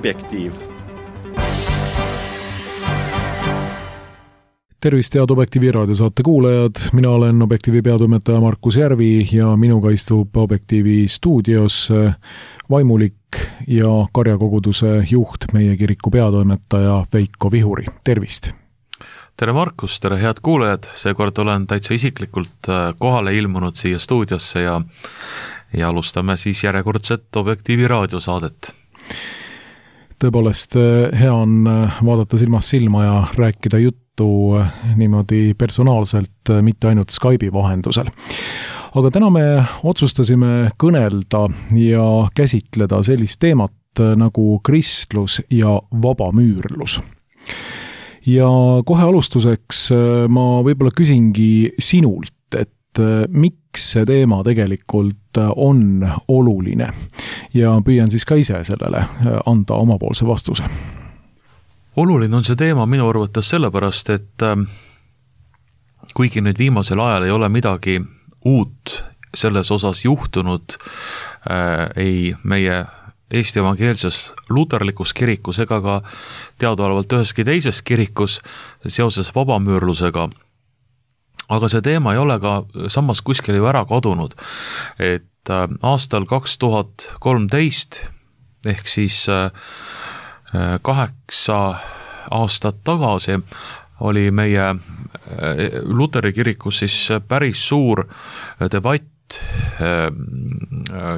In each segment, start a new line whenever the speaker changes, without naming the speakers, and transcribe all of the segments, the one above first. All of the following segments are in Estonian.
Objektiiv.
Tervist, head Objektiivi raadiosaate kuulajad. Mina olen Objektiivi peatoimetaja Markus Järvi ja minuga istub Objektiivi stuudios vaimulik ja karjakoguduse juht, meie kiriku peatoimetaja Veiko Vihuri. Tervist!
Tere Markus, tere head kuulajad. Seekord olen täitsa isiklikult kohale ilmunud siia stuudiosse ja alustame siis järjekordset Objektiivi raadiosaadet.
Tõepoolest, hea on vaadata silmast silma ja rääkida juttu niimoodi personaalselt, mitte ainult Skype'i vahendusel. Aga täna me otsustasime kõnelda ja käsitleda sellist teemat nagu kristlus ja vabamüürlus. Ja kohe alustuseks ma võib-olla küsingi sinult, et miks see teema tegelikult on oluline ja püüan siis ka ise sellele anda omapoolse vastuse.
Oluline on see teema minu arvates sellepärast, et kuigi nüüd viimasel ajal ei ole midagi uut selles osas juhtunud ei meie Eesti evangeelses luterlikus kirikus ega ka teadaolevalt üheski teises kirikus seoses vabamüürlusega. Aga see teema ei ole ka samas kuskil ju ära kadunud, et aastal 2013 ehk siis 8 aastat tagasi oli meie Luteri kirikus siis päris suur debatt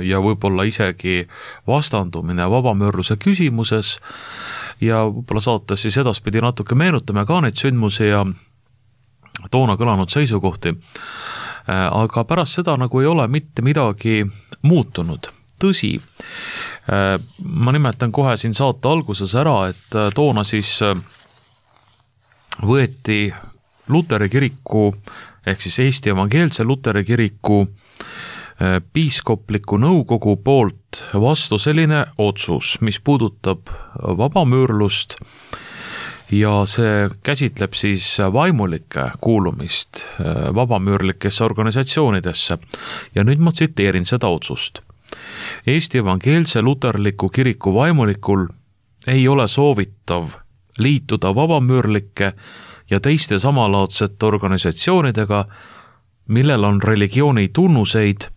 ja võib-olla isegi vastandumine vabamüürluse küsimuses ja võib-olla saates siis edaspidi natuke meenutame ka neid sündmusi ja toona kõlanud seisukohti. Aga pärast seda nagu ei ole mitte midagi muutunud. Tõsi, ma nimetan kohe siin saate alguses ära, et toona siis võeti Luteri kiriku ehk siis Eesti evangeelse Luteri kiriku piiskopliku nõukogu poolt vastu selline otsus, mis puudutab vabamüürlust ja see käsitleb siis vaimulike kuulumist vabamüürlikesse organisatsioonidesse. Ja nüüd ma tsiteerin seda otsust. Eesti evangeelse luterliku kiriku vaimulikul ei ole soovitav liituda vabamüürlike ja teiste samalaadsete organisatsioonidega, millel on religiooni tunnuseid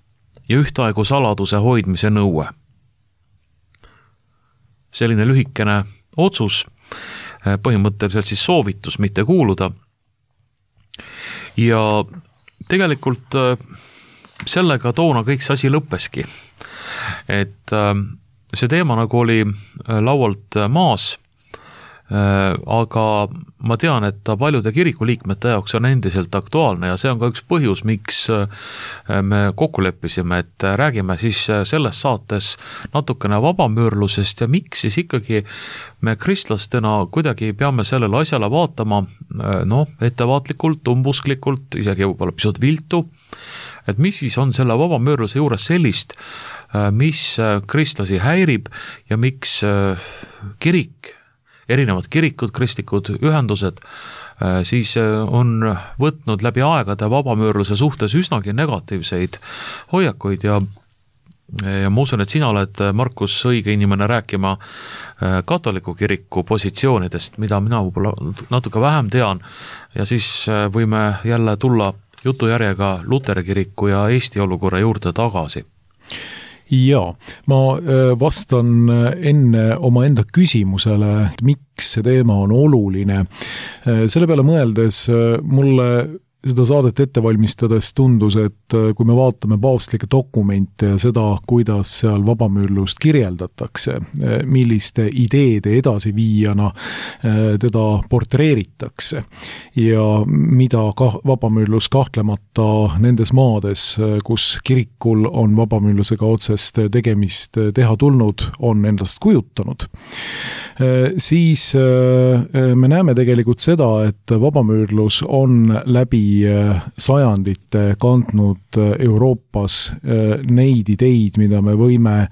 ja ühtaegu saladuse hoidmise nõue. Selline lühikene otsus, põhimõtteliselt siis soovitus mitte kuuluda. Ja tegelikult sellega toona kõik see asi lõppeski. Et see teema nagu oli laualt maas, aga ma tean, et ta paljude kirikuliikmete jaoks on endiselt aktuaalne ja see on ka üks põhjus, miks me kokku leppisime, et räägime siis selles saates natukene vabamüürlusest ja miks siis ikkagi me kristlastena kuidagi peame sellele asjale vaatama ettevaatlikult, umbusklikult, isegi võib-olla pisut viltu, et mis siis on selle vabamüürluse juures sellist, mis kristlasi häirib ja miks kirik, erinevad kirikud, kristlikud ühendused siis on võtnud läbi aegade vabamüürluse suhtes üsnagi negatiivseid hoiakuid ja ma usun, et sina oled, Markus, õige inimene rääkima katoliku kiriku positsioonidest, mida mina võib-olla natuke vähem tean ja siis võime jälle tulla jutujärjega Luteri kiriku ja Eesti olukorra juurde tagasi.
Jaa, ma vastan enne oma enda küsimusele, miks see teema on oluline. Selle peale mõeldes mulle seda saadet ette valmistades tundus, et kui me vaatame paavstlikke dokumente ja seda, kuidas seal vabamüürlust kirjeldatakse, milliste ideede edasiviijana teda portreeritakse ja mida vabamüürlus kahtlemata nendes maades, kus kirikul on vabamüürlusega otsest tegemist teha tulnud, on endast kujutanud, siis me näeme tegelikult seda, et vabamüürlus on läbi sajandite kandnud Euroopas neid ideid, mida me võime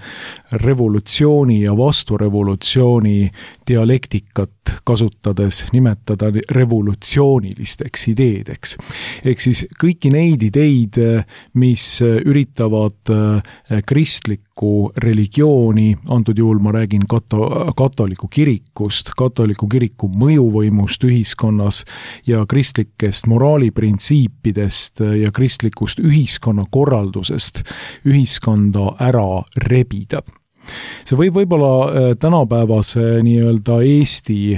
revolutsiooni ja vasturevolutsiooni dialektikat kasutades nimetada revolutsioonilisteks ideedeks. Ehk siis kõiki neid ideid, mis üritavad kristlikku religiooni, antud juhul ma räägin katoliku kirikust, katoliku kiriku mõjuvõimust ühiskonnas ja kristlikest moraaliprintsiipidest ja kristlikust ühiskonnakorraldusest ühiskonda ära rebida. See võib-olla tänapäevase nii-öelda Eesti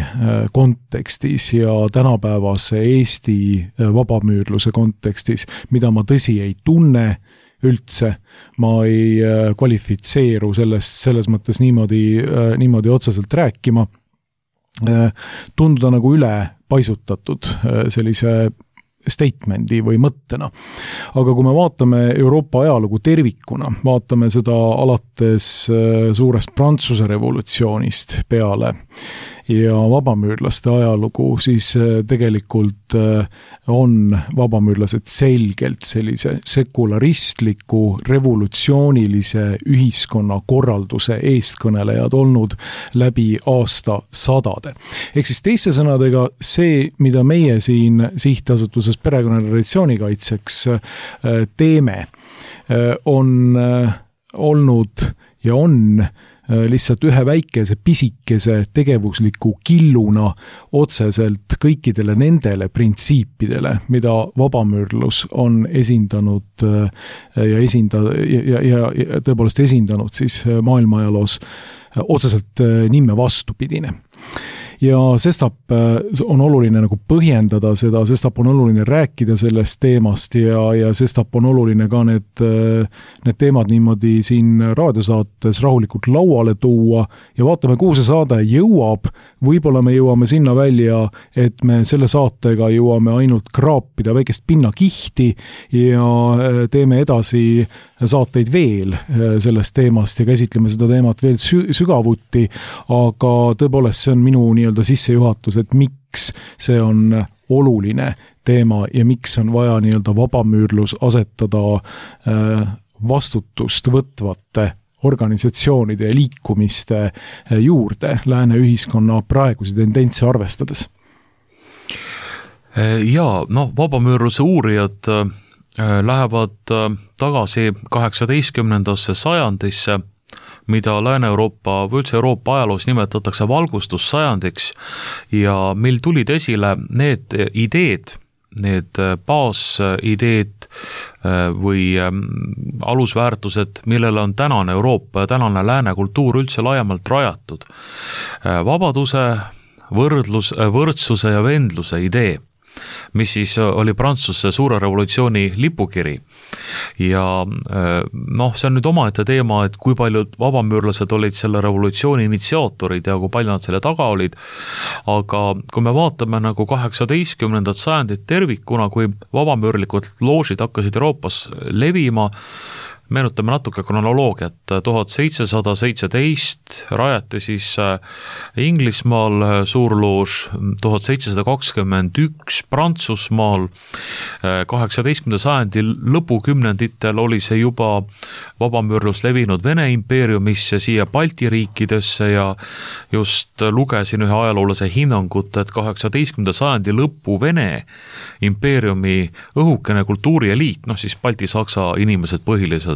kontekstis ja tänapäevase Eesti vabamüürluse kontekstis, mida ma tõsi ei tunne üldse, ma ei kvalifitseeru selles mõttes niimoodi otseselt rääkima, tunduda nagu üle paisutatud sellise statemendi või mõttena. Aga kui me vaatame Euroopa ajalugu tervikuna, vaatame seda alates suurest Prantsuse revolutsioonist peale ja vabamüürlaste ajalugu, siis tegelikult on vabamüürlased selgelt sellise sekularistliku, revolutsioonilise ühiskonnakorralduse eestkõnelejad olnud läbi aastasadade. Ehk siis teiste sõnadega see, mida meie siin sihtasutuses Perekonna ja Traditsiooni Kaitseks teeme, on olnud ja on lihtsalt ühe väikese pisikese tegevusliku killuna otseselt kõikidele nendele printsiipidele, mida vabamüürlus on esindanud ja tõepoolest esindanud siis maailmaajaloos otseselt nimme vastupidine. Ja sestap on oluline nagu põhjendada seda, sestap on oluline rääkida sellest teemast ja sestap on oluline ka need teemad niimoodi siin raadiosaates rahulikult lauale tuua ja vaatame, kuhu see saade jõuab. Võib-olla me jõuame sinna välja, et me selle saatega jõuame ainult kraapida väikest pinnakihti ja teeme edasi saateid veel sellest teemast ja käsitleme seda teemat veel sügavuti, aga tõepoolest see on minu nii-öelda sissejuhatus, et miks see on oluline teema ja miks on vaja nii-öelda vabamüürlus asetada vastutust võtvate organisatsioonide ja liikumiste juurde lääne ühiskonna praegusi tendentse arvestades.
Vabamüürluse uurijad lähevad tagasi 18. sajandisse, mida Lääne-Euroopa või üldse Euroopa ajaloos nimetatakse valgustussajandiks ja mil tulid esile need ideed, need baasideed või alusväärtused, millele on tänane Euroopa ja tänane lääne kultuur üldse laiemalt rajatud. Vabaduse, võrdsuse ja vendluse idee, mis siis oli Prantsuse suure revolutsiooni lipukiri. Ja see on nüüd omaette teema, et kui paljud vabamüürlased olid selle revolutsiooni initsiaatorid ja kui palju nad selle taga olid, aga kui me vaatame nagu 18. sajandit tervikuna, kui vabamüürlikud loožid hakkasid Euroopas levima, meenutame natuke kronoloogiat, 1717 rajati siis Inglismaal suurloož, 1721 Prantsusmaal, 18. sajandi lõpukümnenditel oli see juba vabamüürlus levinud Vene impeeriumisse, siia Balti riikidesse ja just lugesin ühe ajaloolase hinnangut, et 18. sajandi lõpu Vene impeeriumi õhukene kultuurieliit, siis Balti-Saksa inimesed põhiliselt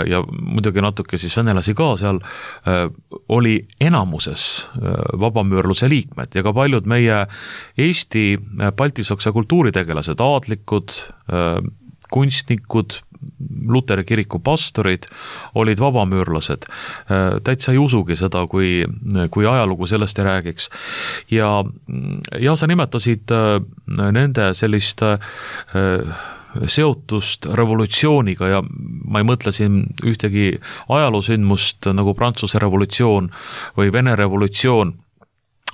ja muidugi natuke siis venelasi ka seal, oli enamuses vabamüürluse liikmed ja ka paljud meie Eesti Balti-Saksa kultuuritegelased, aadlikud, kunstnikud, Luteri kiriku pastorid olid vabamüürlased. Täitsa ei usugi seda, kui ajalugu sellest ei räägiks. Ja sa nimetasid nende sellist seotust revolutsiooniga ja ma ei mõtle siin ühtegi ajaloosündmust nagu Prantsuse revolutsioon või Vene revolutsioon,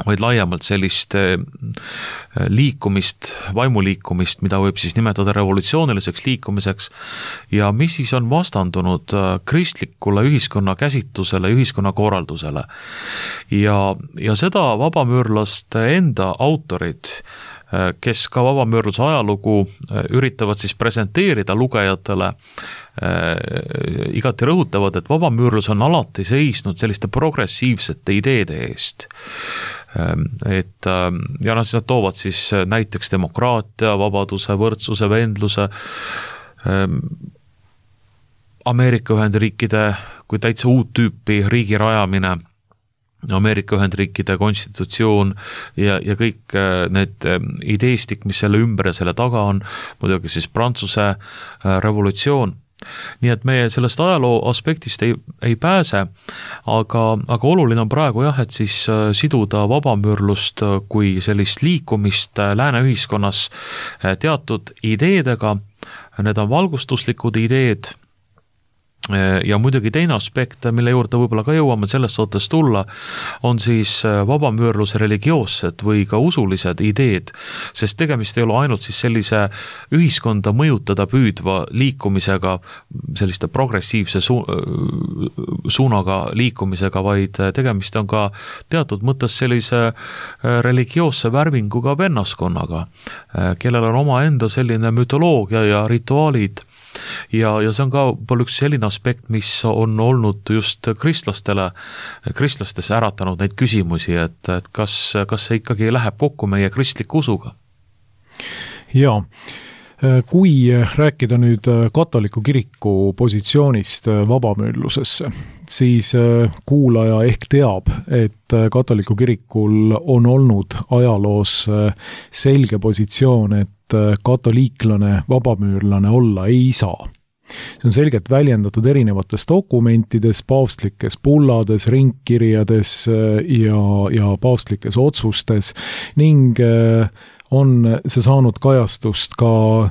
vaid laiemalt sellist liikumist, vaimuliikumist, mida võib siis nimetada revolutsiooniliseks liikumiseks ja mis siis on vastandunud kristlikule ühiskonna käsitlusele, ühiskonna korraldusele. Ja seda vabamüürlaste enda autorid kes ka vabamüürluse ajalugu üritavad siis presenteerida lugejatele, igati rõhutavad, et vabamüürlus on alati seisnud selliste progressiivsete ideede eest. Et ja nad toovad siis näiteks demokraatia, vabaduse, võrdsuse, vendluse, Ameerika Ühendriikide kui täitsa uut tüüpi riigi rajamine, Ameerika Ühendriikide konstitutsioon ja kõik need ideestik, mis selle ümber ja selle taga on, muidugi siis Prantsuse revolutsioon. Nii et meie sellest ajaloo aspektist ei pääse, aga oluline on praegu et siis siduda vabamüürlust kui sellist liikumist lääne ühiskonnas teatud ideedega, need on valgustuslikud ideed, ja muidugi teine aspekt, mille juurde võib-olla ka jõuame selles saates tulla, on siis vabamüürluse religioossed või ka usulised ideed, sest tegemist ei ole ainult siis sellise ühiskonda mõjutada püüdva liikumisega, selliste progressiivse suunaga liikumisega, vaid tegemist on ka teatud mõttes sellise religioosse värvinguga vennaskonnaga, kellel on oma enda selline mütoloogia ja rituaalid. Ja see on ka palju üks selline aspekt, mis on olnud just kristlastes äratanud neid küsimusi, et kas see ikkagi läheb kokku meie kristliku usuga?
Jaa. Kui rääkida nüüd katoliku kiriku positsioonist vabamüürlusesse, siis kuulaja ehk teab, et katoliku kirikul on olnud ajaloos selge positsioon, et katoliiklane vabamüürlane olla ei saa. See on selgelt väljendatud erinevates dokumentides, paavstlikes bullades, ringkirjades ja paavstlikes otsustes ning on see saanud kajastust ka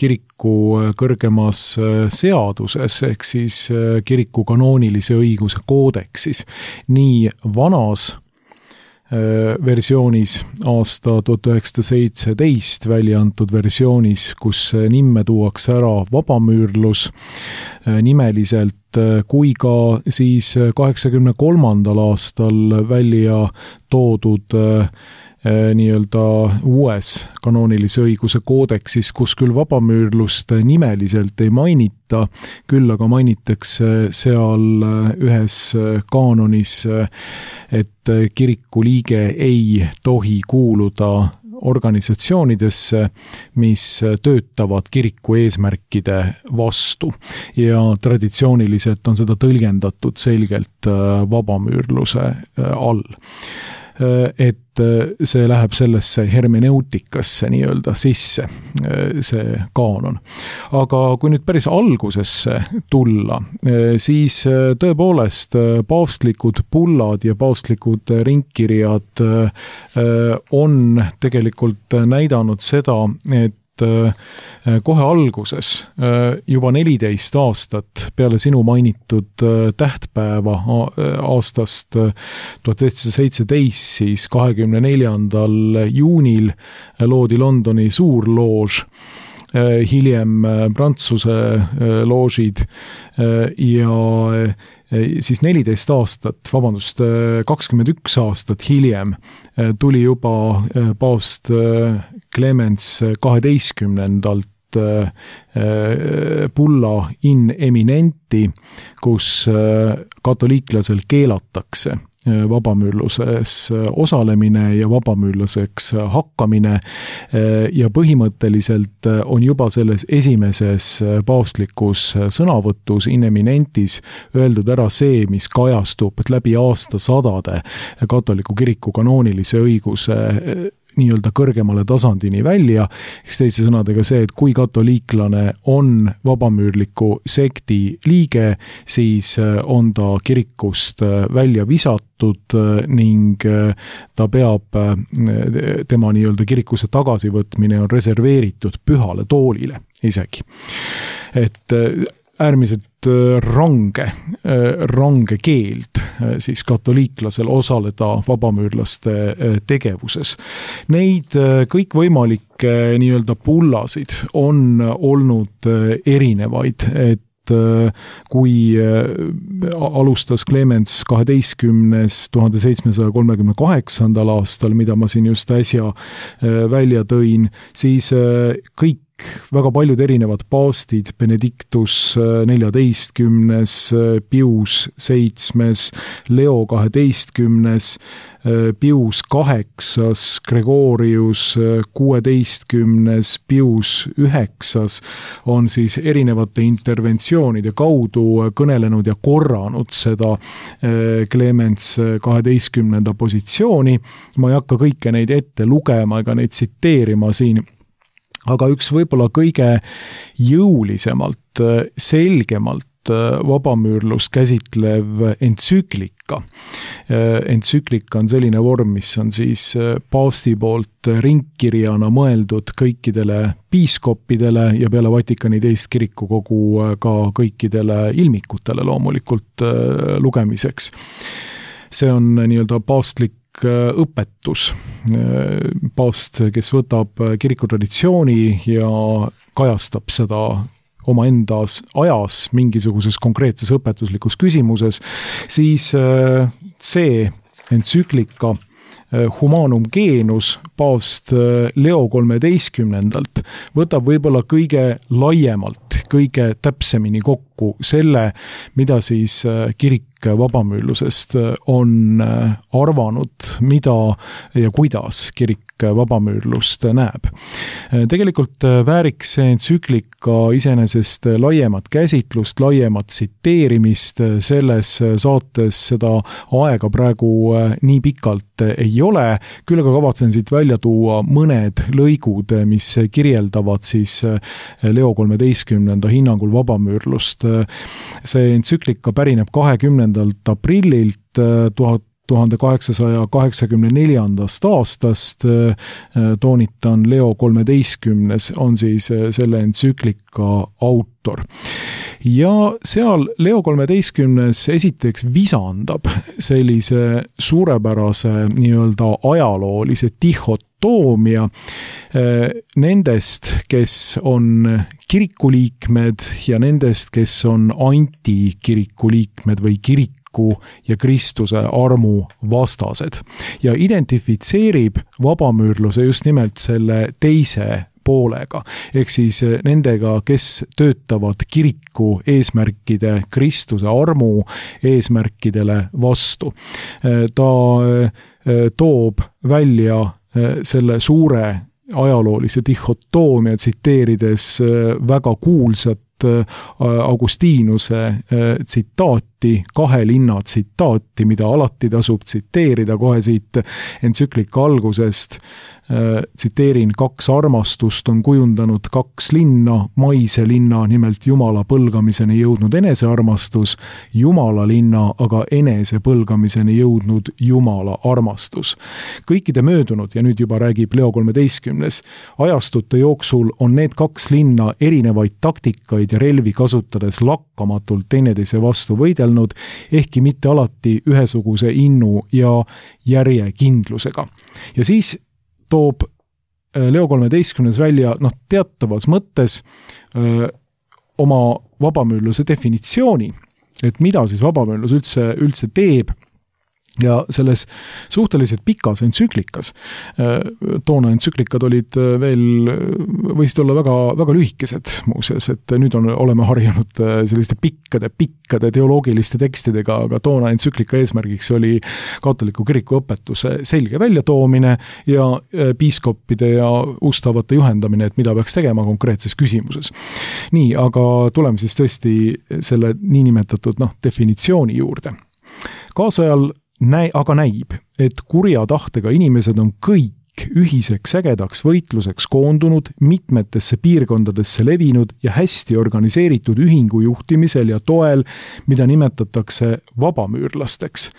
kiriku kõrgemas seaduses, ehk siis kiriku kanoonilise õiguse koodeksis. Nii vanas versioonis aasta 1917 välja antud versioonis, kus nimme tuuakse ära vabamüürlus nimeliselt, kui ka siis 83. aastal välja toodud nii-öelda uues kanoonilise õiguse koodeksis, kus küll vabamüürlust nimeliselt ei mainita, küll aga mainitakse seal ühes kaanonis, et kiriku liige ei tohi kuuluda organisatsioonidesse, mis töötavad kiriku eesmärkide vastu ja traditsiooniliselt on seda tõlgendatud selgelt vabamüürluse all. Et see läheb sellesse hermeneutikasse nii-öelda sisse, see kaanon. Aga kui nüüd päris algusesse tulla, siis tõepoolest paavstlikud bullad ja paavstlikud ringkirjad on tegelikult näidanud seda, et kohe alguses, juba 14 aastat peale sinu mainitud tähtpäeva aastast 1917, siis 24. juunil loodi Londoni suurloož, hiljem Prantsuse loožid ja siis 14 aastat, 21 aastat hiljem tuli juba paavst Clemens 12. bulla in eminenti, kus katoliiklasel keelatakse vabamüürluses osalemine ja vabamüürluseks hakkamine ja põhimõtteliselt on juba selles esimeses paavstlikus sõnavõtus in eminentis öeldud ära see, mis kajastub läbi aastasadade katoliku kiriku kanoonilise õiguse nii-öelda kõrgemale tasandini välja, eks teise sõnadega see, et kui katoliiklane on vabamüürliku sekti liige, siis on ta kirikust välja visatud ning ta peab, tema nii-öelda kirikusse tagasivõtmine on reserveeritud pühale toolile isegi. Et äärmiselt range keeld siis katoliiklasel osaleda vabamüürlaste tegevuses. Neid kõikvõimalikke nii-öelda bullasid on olnud erinevaid, et kui alustas Clemens 12. 1738. aastal, mida ma siin just äsja välja tõin, siis kõik väga paljud erinevad paavstid, Benedictus 14., Pius 7., Leo 12., Pius 8., Gregorius 16., Pius 9. on siis erinevate interventsioonide kaudu kõnelenud ja korranud seda Clemens 12. positsiooni. Ma ei hakka kõike neid ette lugema ega neid tsiteerima siin, aga üks võib-olla kõige jõulisemalt, selgemalt vabamüürlust käsitlev entsüklika. Entsüklika on selline vorm, mis on siis paavsti poolt ringkirjana mõeldud kõikidele piiskoppidele ja peale Vatikani teist kirikukogu ka kõikidele ilmikutele loomulikult lugemiseks. See on nii-öelda paavstlik õpetus. Paavst, kes võtab kirikutraditsiooni ja kajastab seda omaendas ajas mingisuguses konkreetses õpetuslikus küsimuses, siis see entsüklika Humanum Genus paavst Leo 13. võtab võib-olla kõige laiemalt, kõige täpsemini kokku selle, mida siis kirik vabamüürlusest on arvanud, mida ja kuidas kirik vabamüürlust näeb. Tegelikult vääriks see entsüklika iseenesest laiemat käsitlust, laiemat tsiteerimist, selles saates seda aega praegu nii pikalt ei ole, küll aga kavatsen siit välja tuua mõned lõigud, mis kirjeldavad siis Leo 13. hinnangul vabamüürlust. See entsüklika pärineb 20. aprillilt 1884. aastast, toonitan, Leo 13. on siis selle entsüklika autor. Ja seal Leo 13. esiteks visandab sellise suurepärase nii-öelda ajaloolise dihotoomia nendest, kes on kirikuliikmed ja nendest, kes on antikirikuliikmed või kiriku ja Kristuse armu vastased ja identifitseerib vabamüürluse just nimelt selle teise poolega, ehk siis nendega, kes töötavad kiriku eesmärkide, Kristuse armu eesmärkidele vastu. Ta toob välja selle suure ajaloolise dihotoomia, tsiteerides väga kuulsat Augustinuse tsitaati, kahe linna tsitaati, mida alati tasub tsiteerida kohe siit entsüklika algusest. Tsiteerin, 2 armastust on kujundanud 2 linna, maise linna, nimelt Jumala põlgamiseni jõudnud enesearmastus, Jumala linna, aga enese põlgamiseni jõudnud Jumala armastus. Kõikide möödunud, ja nüüd juba räägib Leo 13. ajastute jooksul on need 2 linna erinevaid taktikaid ja relvi kasutades lakkamatult teineteise vastu võidelnud, ehkki mitte alati ühesuguse innu ja järjekindlusega. Ja siis toob Leo 13. välja teatavas mõttes oma vabamüürluse definitsiooni, et mida siis vabamüürlus üldse teeb. Ja selles suhteliselt pikas entsüklikas, toona entsüklikad olid veel, võisid olla väga, väga lühikesed muuseas, et nüüd oleme harjunud selliste pikkade teoloogiliste tekstidega, aga toona entsüklika eesmärgiks oli katoliku kiriku õpetuse selge väljatoomine ja piiskoppide ja ustavate juhendamine, et mida peaks tegema konkreetses küsimuses. Nii, aga tuleme siis tõesti selle niinimetatud definitsiooni juurde. Kaasajal aga näib, et kurja tahtega inimesed on kõik ühiseks ägedaks võitluseks koondunud, mitmetesse piirkondadesse levinud ja hästi organiseeritud ühingu juhtimisel ja toel, mida nimetatakse vabamüürlasteks.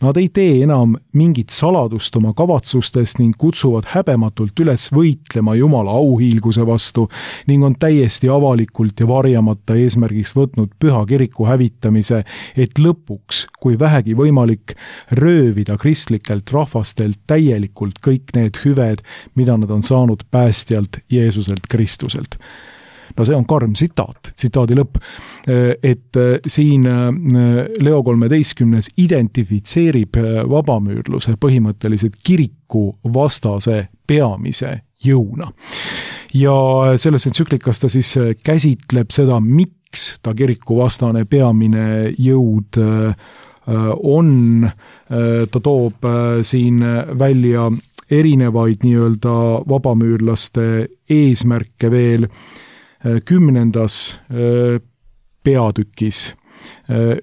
Nad ei tee enam mingit saladust oma kavatsustest ning kutsuvad häbematult üles võitlema Jumala auhiilguse vastu ning on täiesti avalikult ja varjamata eesmärgiks võtnud püha kiriku hävitamise, et lõpuks, kui vähegi võimalik, röövida kristlikelt rahvastelt täielikult kõik need hüved, mida nad on saanud päästjalt Jeesuselt Kristuselt. No see on karm tsitaadi lõpp, et siin Leo XIII identifitseerib vabamüürluse põhimõtteliselt kiriku vastase peamise jõuna. Ja selles entsüklikas ta siis käsitleb seda, miks ta kiriku vastane peamine jõud on, ta toob siin välja erinevaid nii-öelda vabamüürlaste eesmärke veel 10. peatükis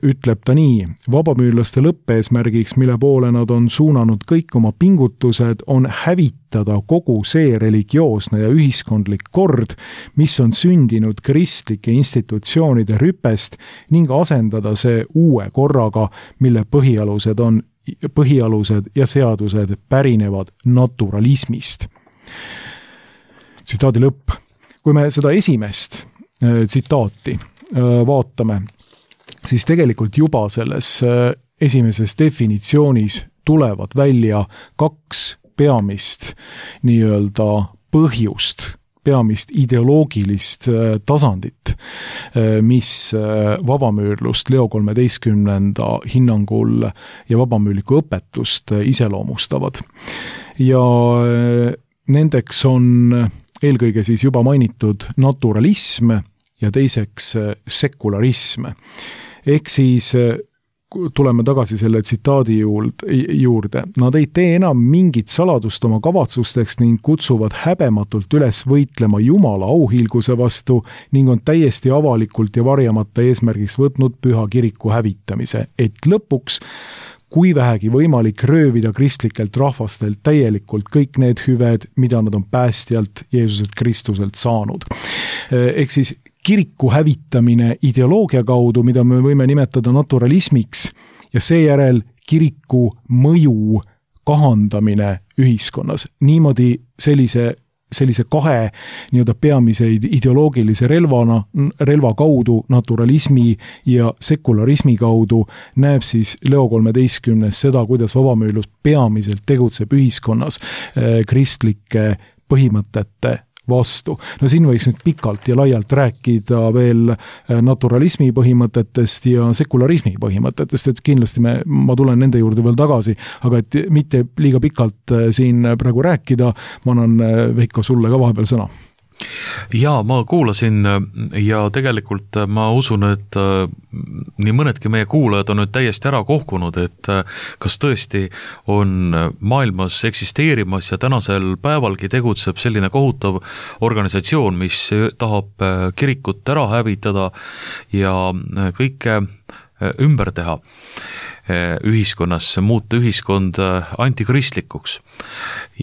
ütleb ta nii: vabamüürlaste lõppeesmärgiks, mille poole nad on suunanud kõik oma pingutused, on hävitada kogu see religioosne ja ühiskondlik kord, mis on sündinud kristlike institutsioonide rüpest ning asendada see uue korraga, mille põhialused ja seadused pärinevad naturalismist. Tsitaadi lõpp. Kui me seda esimest tsitaati vaatame, siis tegelikult juba selles esimeses definitsioonis tulevad välja 2 peamist nii-öelda põhjust, peamist ideoloogilist tasandit, mis vabamüürlust Leo XIII hinnangul ja vabamüürliku õpetust iseloomustavad. Ja nendeks on eelkõige siis juba mainitud naturalism ja teiseks sekularism. Ehk siis tuleme tagasi selle tsitaadi juurde. Nad ei tee enam mingit saladust oma kavatsusteks ning kutsuvad häbematult üles võitlema Jumala auhiilguse vastu ning on täiesti avalikult ja varjamata eesmärgiks võtnud püha kiriku hävitamise, et lõpuks, kui vähegi võimalik, röövida kristlikelt rahvastelt täielikult kõik need hüved, mida nad on päästjalt Jeesuselt Kristuselt saanud. Ehk siis kiriku hävitamine ideoloogia kaudu, mida me võime nimetada naturalismiks, ja seejärel kiriku mõju kahandamine ühiskonnas. Niimoodi sellise 2 nii-öelda peamiseid ideoloogilise relva kaudu, naturalismi ja sekularismi kaudu, näeb siis Leo XIII seda, kuidas vabamüürlus peamiselt tegutseb ühiskonnas kristlike põhimõtete vastu. No siin võiks nüüd pikalt ja laialt rääkida veel naturalismi põhimõtetest ja sekularismi põhimõtetest, et kindlasti ma tulen nende juurde veel tagasi, aga et mitte liiga pikalt siin praegu rääkida, ma annan Veiko sulle ka vahepeal sõna.
Jaa, ma kuulasin ja tegelikult ma usun, et nii mõnedki meie kuulajad on nüüd täiesti ära kohkunud, et kas tõesti on maailmas eksisteerimas ja tänasel päevalgi tegutseb selline kohutav organisatsioon, mis tahab kirikut ära hävitada ja kõike ümber teha ühiskonnas, muuta ühiskond antikristlikuks.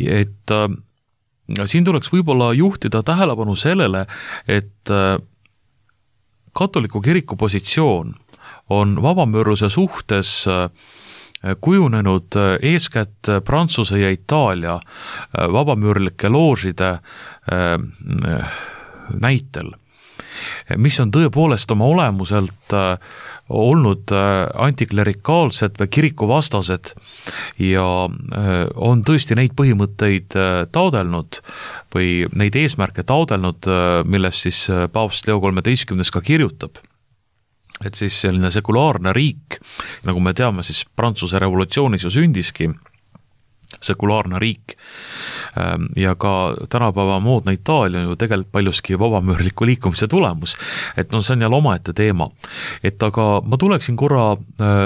Et siin tuleks võib-olla juhtida tähelepanu sellele, et katoliku kiriku positsioon on vabamüürluse suhtes kujunenud eeskätt Prantsuse ja Itaalia vabamüürlike loožide näitel, mis on tõepoolest oma olemuselt olnud antiklerikaalsed või kirikuvastased ja on tõesti neid põhimõtteid taodelnud või neid eesmärke taodelnud, millest siis paavst Leo XIII ka kirjutab. Et siis selline sekulaarne riik, nagu me teame, siis Prantsuse revolutsioonis ju sündiski sekulaarne riik ja ka tänapäeva moodne Itaalia ju tegelikult paljuski vabamüürliku liikumise tulemus, et no see on jälle omaette teema. Et aga ma tuleksin korra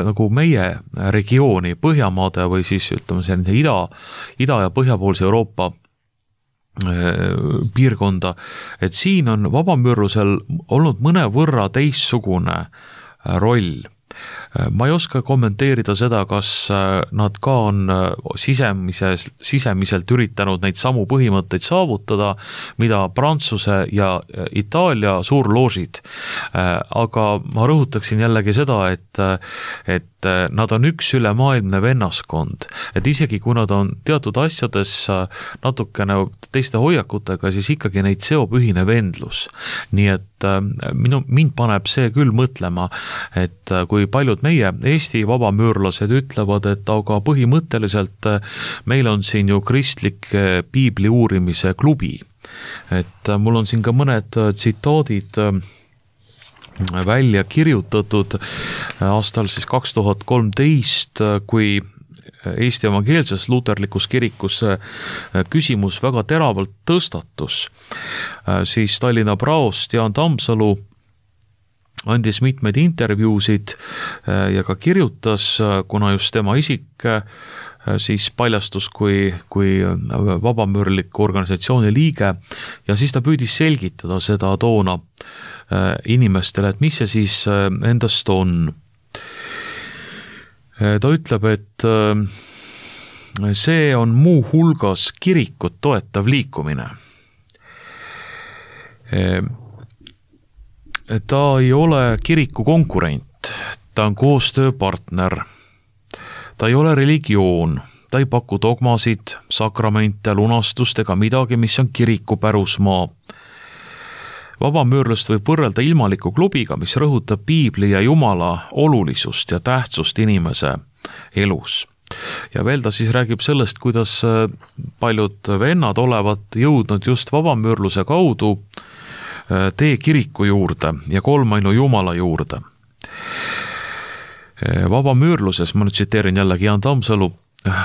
nagu meie regiooni, Põhjamaade või siis ütleme selline ida ja põhjapoolse Euroopa piirkonda, et siin on vabamüürlusel olnud mõnevõrra teistsugune roll. Ma ei oska kommenteerida seda, kas nad ka on sisemiselt üritanud neid samu põhimõtteid saavutada, mida Prantsuse ja Itaalia suurloožid. Aga ma rõhutaksin jällegi seda, et nad on üks ülemaailmne vennaskond, et isegi kui nad on teatud asjades natukene teiste hoiakutega, siis ikkagi neid seob ühine vendlus. Nii et mind paneb see küll mõtlema, et kui paljud meie Eesti vabamüürlased ütlevad, et aga põhimõtteliselt meil on siin ju kristlik piibli uurimise klubi et mul on siin ka mõned tsitaadid välja kirjutatud aastal siis 2013, kui Eesti evangeelses luterlikus kirikus küsimus väga teravalt tõstatus, siis Tallinna praost Jaan Tammsalu andis mitmeid intervjuusid ja ka kirjutas, kuna just tema isik siis paljastus kui vabamüürliku organisatsiooni liige ja siis ta püüdis selgitada seda toona inimestele, et mis see siis endast on. Ta ütleb, et see on muu hulgas kirikut toetav liikumine. Ta ei ole kiriku konkurent, ta on koostööpartner. Ta ei ole religioon, ta ei paku dogmasid, sakramente, lunastust ega midagi, mis on kiriku pärusmaa. Vabamüürlust võib võrrelda ilmaliku klubiga, mis rõhutab piibli ja Jumala olulisust ja tähtsust inimese elus. Ja veel ta siis räägib sellest, kuidas paljud vennad olevat jõudnud just vabamüürluse kaudu tee kiriku juurde ja kolmainu Jumala juurde. Vabamüürluses, ma nüüd tsiteerin jällegi Jaan Tammsalu,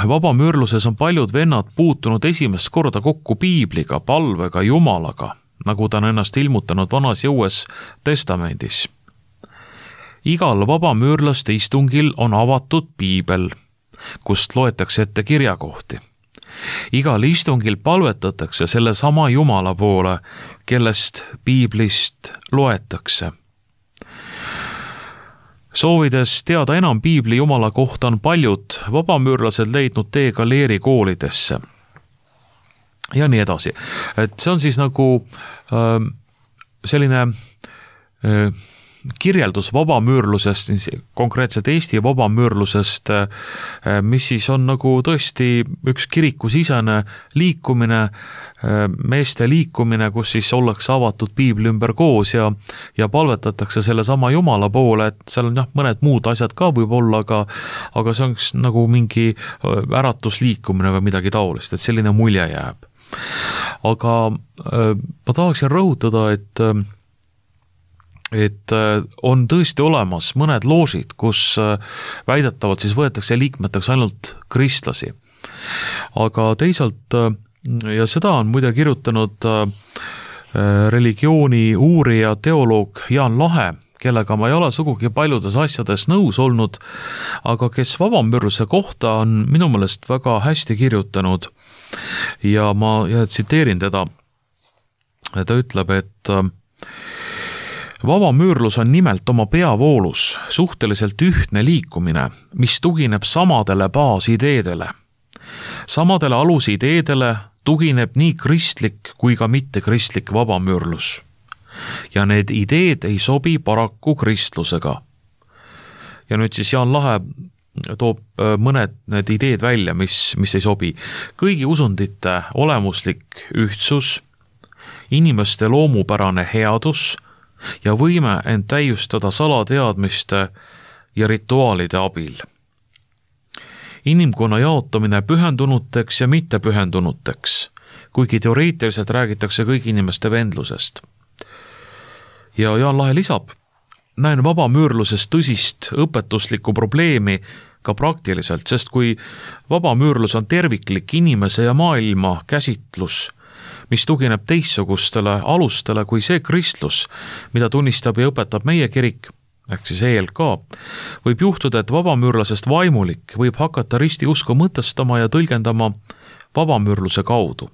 vabamüürluses on paljud vennad puutunud esimest korda kokku piibliga, palvega, Jumalaga, nagu ta on ennast ilmutanud vanas ja uues testamendis. Igal vabamüürlaste istungil on avatud piibel, kust loetakse ette kirjakohti. Igal istungil palvetatakse selle sama Jumala poole, kellest piiblist loetakse. Soovides teada enam piibli Jumala kohta on paljud vabamüürlased leidnud tee galeeri koolidesse. Ja nii edasi. Et see on siis nagu selline kirjeldus vabamüürlusest, konkreetselt Eesti vabamüürlusest, mis siis on nagu tõesti üks kirikusisene liikumine, meeste liikumine, kus siis ollakse avatud piibli ümber koos ja palvetatakse selle sama Jumala poole, et seal on mõned muud asjad ka võib olla, aga see on nagu mingi äratusliikumine või midagi taolist, et selline mulje jääb. Aga ma tahaksin rõhutada, et on tõesti olemas mõned loosid, kus väidetavalt siis võetakse liikmeteks ainult kristlasi. Aga teisalt, ja seda on muide kirjutanud religiooni uurija teoloog Jaan Lahe, kellega ma ei ole sugugi paljudes asjades nõus olnud, aga kes vabamüürluse kohta on minu meelest väga hästi kirjutanud ja ma tsiteerin teda. Ta ütleb, et vabamüürlus on nimelt oma peavoolus suhteliselt ühtne liikumine, mis tugineb samadele baasideedele. Samadele alusideedele tugineb nii kristlik kui ka mittekristlik vabamüürlus. Ja need ideed ei sobi paraku kristlusega. Ja nüüd siis Jaan Lahe toob mõned need ideed välja, mis ei sobi. Kõigi usundite olemuslik ühtsus, inimeste loomupärane headus ja võime end täiustada salateadmiste ja rituaalide abil. Inimkonna jaotamine pühendunuteks ja mittepühendunuteks, kuigi teoreetiliselt räägitakse kõigi inimeste vendlusest. Ja Jaan Lahe lisab, näen vabamüürluses tõsist õpetuslikku probleemi ka praktiliselt, sest kui vabamüürlus on terviklik inimese ja maailma käsitlus, mis tugineb teistsugustele alustele kui see kristlus, mida tunnistab ja õpetab meie kirik, ehk siis ELK, võib juhtuda, et vabamüürlasest vaimulik võib hakata ristiusku mõtestama ja tõlgendama vabamüürluse kaudu.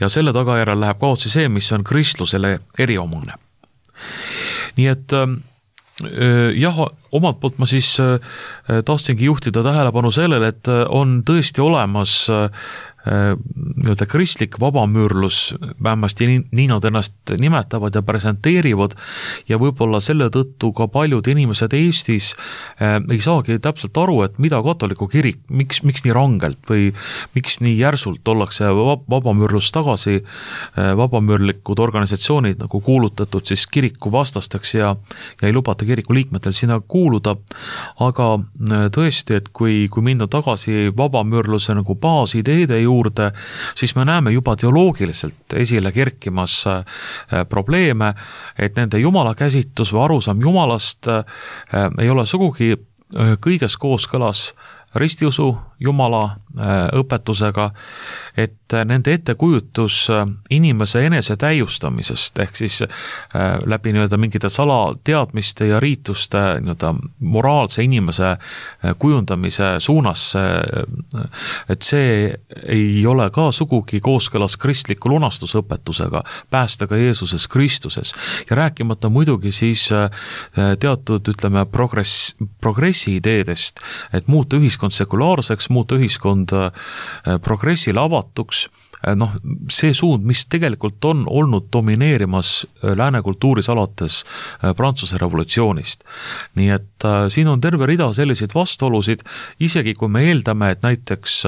Ja selle tagajärjel läheb kaotsi see, mis on kristlusele eriomane. Nii et jah, omalt poolt ma siis tahtsingi juhtida tähelepanu sellele, et on tõesti olemas kristlik vabamüürlus, vähemasti nii nad ennast nimetavad ja presenteerivad ja võib-olla selle tõttu ka paljud inimesed Eestis ei saagi täpselt aru, et mida katoliku kirik, miks nii rangelt või miks nii järsult ollakse vabamüürlust tagasi, vabamüürlikud organisatsioonid nagu kuulutatud siis kiriku vastasteks ja ei lubata kiriku liikmetel sinna kuuluda, aga tõesti, et kui minna tagasi vabamüürluse nagu baasideede juurde, siis me näeme juba teoloogiliselt esile kerkimas probleeme, et nende jumalakäsitus või arusaam jumalast ei ole sugugi kõiges kooskõlas ristiusu Jumala õpetusega, et nende ettekujutus inimese enese täiustamisest ehk siis läbi mingite salateadmiste ja riituste moraalse inimese kujundamise suunas, et see ei ole ka sugugi kooskõlas kristliku lunastusõpetusega päästega Jeesuses Kristuses ja rääkimata muidugi siis teatud, progressi ideedest, et muuta ühiskond sekulaarseks, muuta ühiskond progressile avatuks, see suund, mis tegelikult on olnud domineerimas lääne kultuuris alates Prantsuse revolutsioonist. Nii et siin on terve rida selliseid vastuolusid, isegi kui me eeldame, et näiteks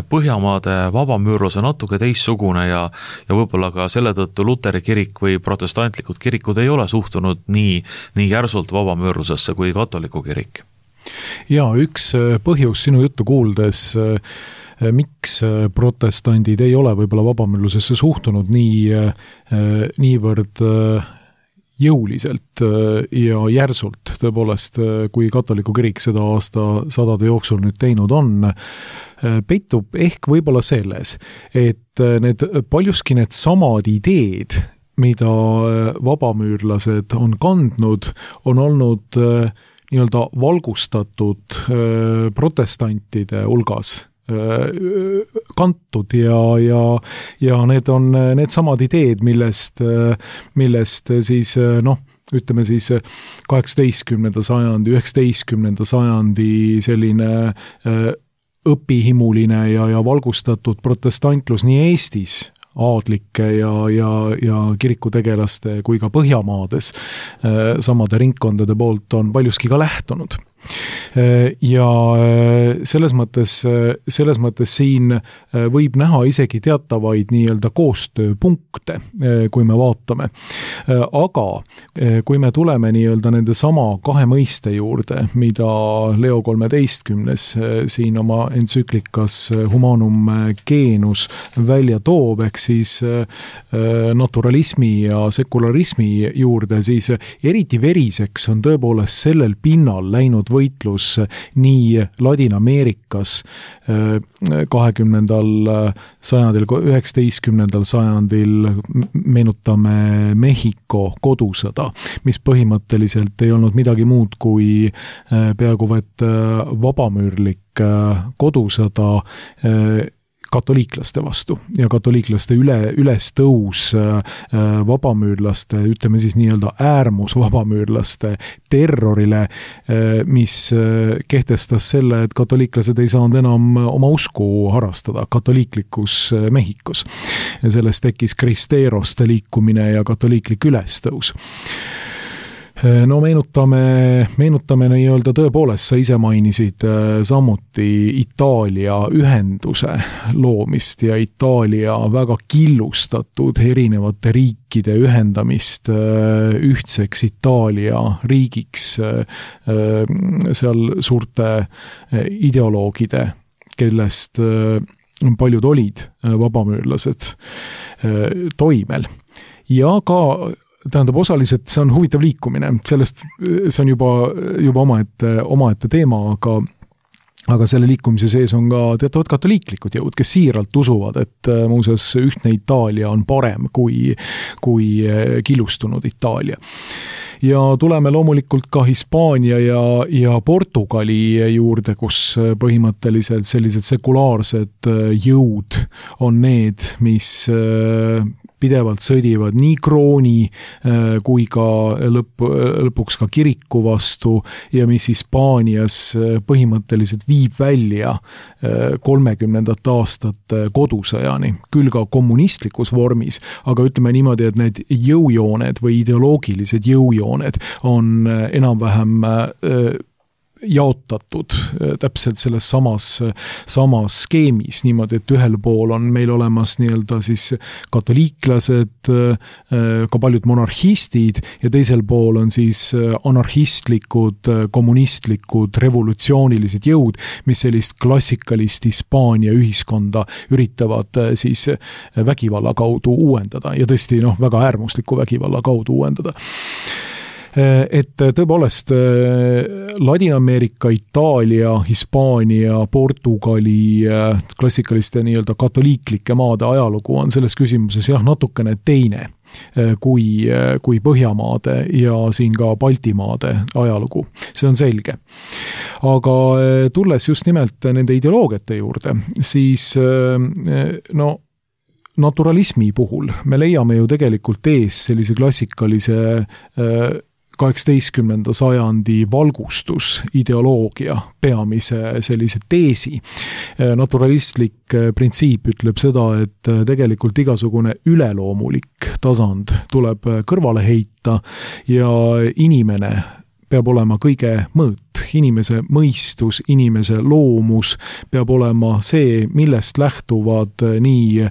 Põhjamaade vabamüürlus on natuke teistsugune ja võib-olla ka selle tõttu Luteri kirik või protestantlikud kirikud ei ole suhtunud nii järsult vabamüürlusesse kui katoliku kirik.
Ja üks põhjus sinu juttu kuuldes, miks protestandid ei ole võib-olla vabamüürlusesse suhtunud niivõrd jõuliselt ja järsult tõepoolest, kui katoliku kirik seda aastasadade jooksul nüüd teinud on, peitub ehk võib-olla selles, et paljuski need samad ideed, mida vabamüürlased on kandnud, on olnud nii-öelda valgustatud protestantide hulgas kantud ja need on need samad ideed, millest siis ütleme siis 18. sajandi, 19. sajandi selline õpihimuline ja valgustatud protestantlus nii Eestis aadlike ja kirikutegelaste kui ka Põhjamaades samade ringkondade poolt on paljuski ka lähtunud. Ja selles mõttes siin võib näha isegi teatavaid nii-öelda koostööpunkte, kui me vaatame. Aga kui me tuleme nii-öelda nende sama kahe mõiste juurde, mida Leo XIII siin oma entsüklikas Humanum Genus välja toob, ehk siis naturalismi ja sekularismi juurde, siis eriti veriseks on tõepoolest sellel pinnal läinud võitlus nii Ladina-Ameerikas 20. sajandil, 19. sajandil, meenutame Mehhiko kodusõda, mis põhimõtteliselt ei olnud midagi muud kui peaaegu et vabamüürlik kodusõda katoliiklaste vastu ja katoliiklaste ülestõus vabamüürlaste, ütleme siis nii-öelda äärmusvabamüürlaste terrorile, mis kehtestas selle, et katoliiklased ei saanud enam oma usku harrastada katoliiklikus Mehhikos. Ja sellest tekkis kristeeroste liikumine ja katoliiklik ülestõus. No meenutame nii-öelda tõepoolest, sa ise mainisid samuti Itaalia ühenduse loomist ja Itaalia väga killustatud erinevate riikide ühendamist ühtseks Itaalia riigiks seal suurte ideoloogide, kellest paljud olid vabamüürlased toimel. Ja ka tähendab, osaliselt see on huvitav liikumine, sellest see on juba omaette teema, aga selle liikumise sees on ka teatavad katoliiklikud jõud, kes siiralt usuvad, et muuseas ühtne Itaalia on parem kui killustunud Itaalia. Ja tuleme loomulikult ka Hispaania ja Portugali juurde, kus põhimõtteliselt sellised sekulaarsed jõud on need, mis pidevalt sõdivad nii krooni kui ka lõpuks ka kiriku vastu ja mis Hispaanias põhimõtteliselt viib välja 30. aastate kodusõjani, küll ka kommunistlikus vormis, aga ütleme niimoodi, et need jõujooned või ideoloogilised jõujooned on enam-vähem jaotatud täpselt selles samas skeemis niimoodi, et ühel pool on meil olemas nii-öelda siis katoliiklased, ka paljud monarhistid ja teisel pool on siis anarhistlikud, kommunistlikud, revolutsioonilised jõud, mis sellist klassikalist Hispaania ühiskonda üritavad siis vägivalla kaudu uuendada ja tõesti väga äärmusliku vägivalla kaudu uuendada. Et tõepoolest Ladina-Ameerika, Itaalia, Hispaania, Portugali klassikaliste nii-öelda katoliiklike maade ajalugu on selles küsimuses natukene teine kui Põhjamaade ja siin ka Baltimaade ajalugu. See on selge. Aga tulles just nimelt nende ideoloogiate juurde, siis naturalismi puhul me leiame ju tegelikult ees sellise klassikalise 18. sajandi valgustusideoloogia peamise sellise teesi. Naturalistlik printsiip ütleb seda, et tegelikult igasugune üleloomulik tasand tuleb kõrvale heita ja inimene peab olema kõige mõõt. Inimese mõistus, inimese loomus peab olema see, millest lähtuvad nii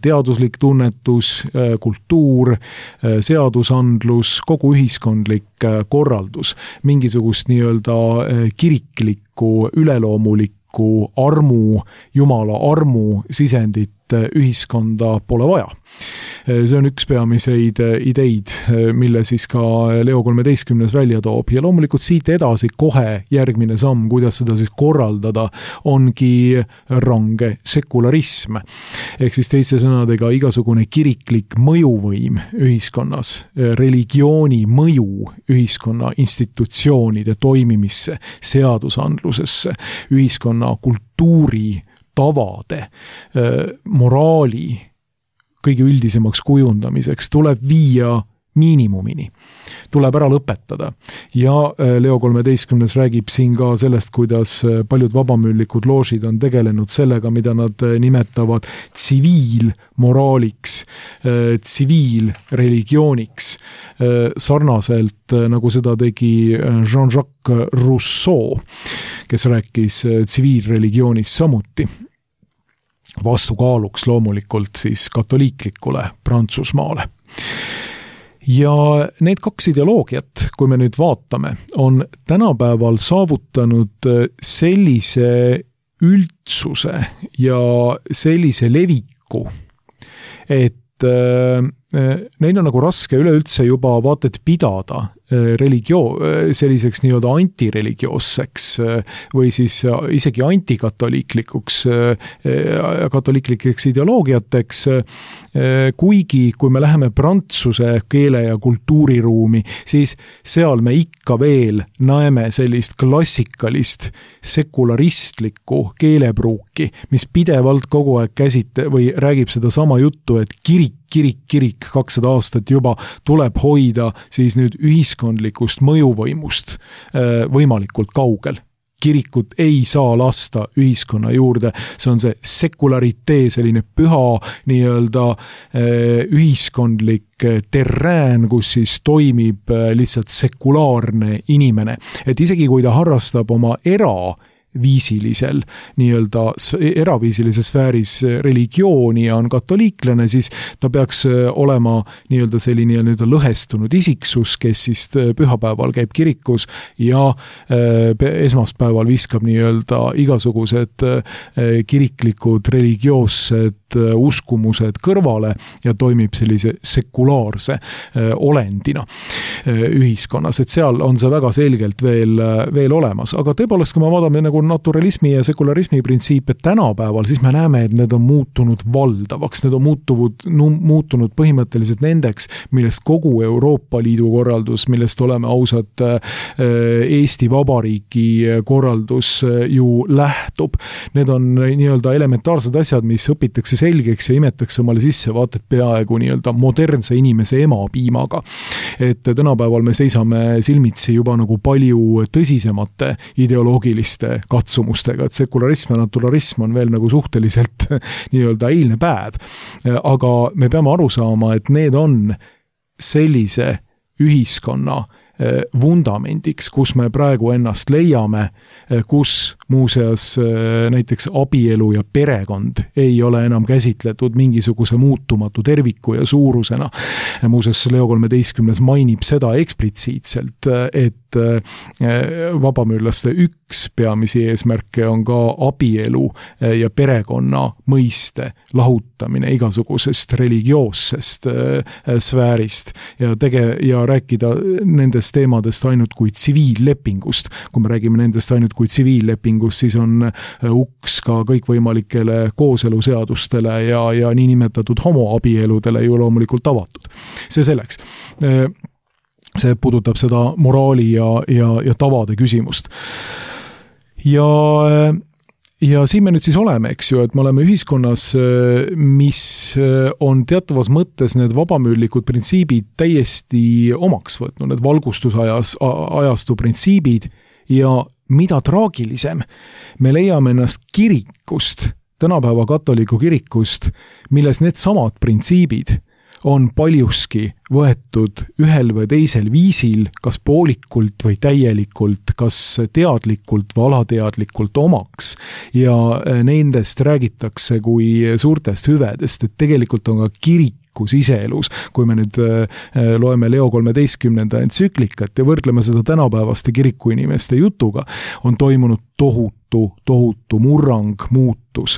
teaduslik tunnetus, kultuur, seadusandlus, kogu ühiskondlik korraldus. Mingisugust nii-öelda kiriklikku, üleloomulikku armu, Jumala armu sisendit ühiskonda pole vaja. See on üks peamiseid ideid, mille siis ka Leo 13. välja toob ja loomulikult siit edasi kohe järgmine samm, kuidas seda siis korraldada, ongi range sekularism. Ehk siis teiste sõnadega igasugune kiriklik mõjuvõim ühiskonnas, religiooni mõju ühiskonna institutsioonide toimimisse, seadusandlusesse, ühiskonna kultuuri, tavade, moraali kõige üldisemaks kujundamiseks tuleb viia miinimumini. Tuleb ära lõpetada. Ja Leo 13. räägib siin ka sellest, kuidas paljud vabamüüllikud loožid on tegelenud sellega, mida nad nimetavad tsiviilmoraaliks, tsiviilreligiooniks, sarnaselt nagu seda tegi Jean-Jacques Rousseau, kes rääkis tsiviilreligioonist samuti. Vastukaaluks loomulikult siis katoliiklikule Prantsusmaale. Ja need kaks ideoloogiat, kui me nüüd vaatame, on tänapäeval saavutanud sellise üldsuse ja sellise leviku, et neil on nagu raske üleüldse juba vaated pidada selliseks nii-öelda antireligioosseks või siis isegi antikatoliiklikuks katoliiklikeks ideoloogiateks, kuigi kui me läheme prantsuse keele ja kultuuriruumi, siis seal me ikka veel näeme sellist klassikalist sekularistlikku keelepruuki, mis pidevalt kogu aeg või räägib seda sama juttu, et kirik 200 aastat juba tuleb hoida siis nüüd ühiskondlikust mõjuvõimust võimalikult kaugel. Kirikut ei saa lasta ühiskonna juurde, see on see sekularitee, selline püha nii-öelda ühiskondlik terrään, kus siis toimib lihtsalt sekulaarne inimene. Et isegi kui ta harrastab oma eraviisilisel, nii-öelda eraviisilises sfääris religiooni ja on katoliiklane, siis ta peaks olema nii-öelda selline nii-öelda lõhestunud isiksus, kes siis pühapäeval käib kirikus ja esmaspäeval viskab nii-öelda igasugused kiriklikud, religioossed uskumused kõrvale ja toimib sellise sekulaarse olendina ühiskonnas, et seal on see väga selgelt veel olemas, aga tõepoolest, kui me vaatame nagu naturalismi ja sekularismi printsiipe tänapäeval, siis me näeme, et need on muutunud valdavaks, need on muutunud põhimõtteliselt nendeks, millest kogu Euroopa Liidu korraldus, millest oleme ausad Eesti Vabariigi korraldus ju lähtub. Need on nii-öelda elementaarsed asjad, mis õpitakse selgeks ja imetakse omale sisse, vaated peaaegu nii-öelda modernse inimese emapiimaga. Et tänapäeval me seisame silmitsi juba nagu palju tõsisemate ideoloogiliste katsumustega, et sekularism ja naturalism on veel nagu suhteliselt nii-öelda eilne päev. Aga me peame aru saama, et need on sellise ühiskonna vundamendiks, kus me praegu ennast leiame, kus muuseas näiteks abielu ja perekond ei ole enam käsitletud mingisuguse muutumatu terviku ja suurusena. Muuseas Leo 13 mainib seda eksplitsiitselt, et vabamüürlaste üks peamisi eesmärke on ka abielu ja perekonna mõiste lahutamine igasugusest religioossest sfäärist ja rääkida nendest teemadest ainult kui tsiviillepingust. Kui me räägime nendest ainult kui tsiviillepingust, siis on uks ka kõikvõimalikele kooseluseadustele ja niinimetatud homoabieludele ju loomulikult avatud. See selleks. See puudutab seda moraali ja tavade küsimust. Ja siin me nüüd siis oleme, eks ju, et me oleme ühiskonnas, mis on teatavas mõttes need vabamüürlikud printsiibid täiesti omaks võtnud, need valgustusajastu printsiibid ja mida traagilisem, me leiame ennast kirikust, tänapäeva katoliku kirikust, milles need samad printsiibid on paljuski võetud ühel või teisel viisil, kas poolikult või täielikult, kas teadlikult või alateadlikult omaks ja nendest räägitakse kui suurtest hüvedest, et tegelikult on ka kirikus iseelus, kui me nüüd loeme Leo 13. entsüklikat ja võrdleme seda tänapäevaste kirikuinimeste jutuga, on toimunud tohutu murrang, muutus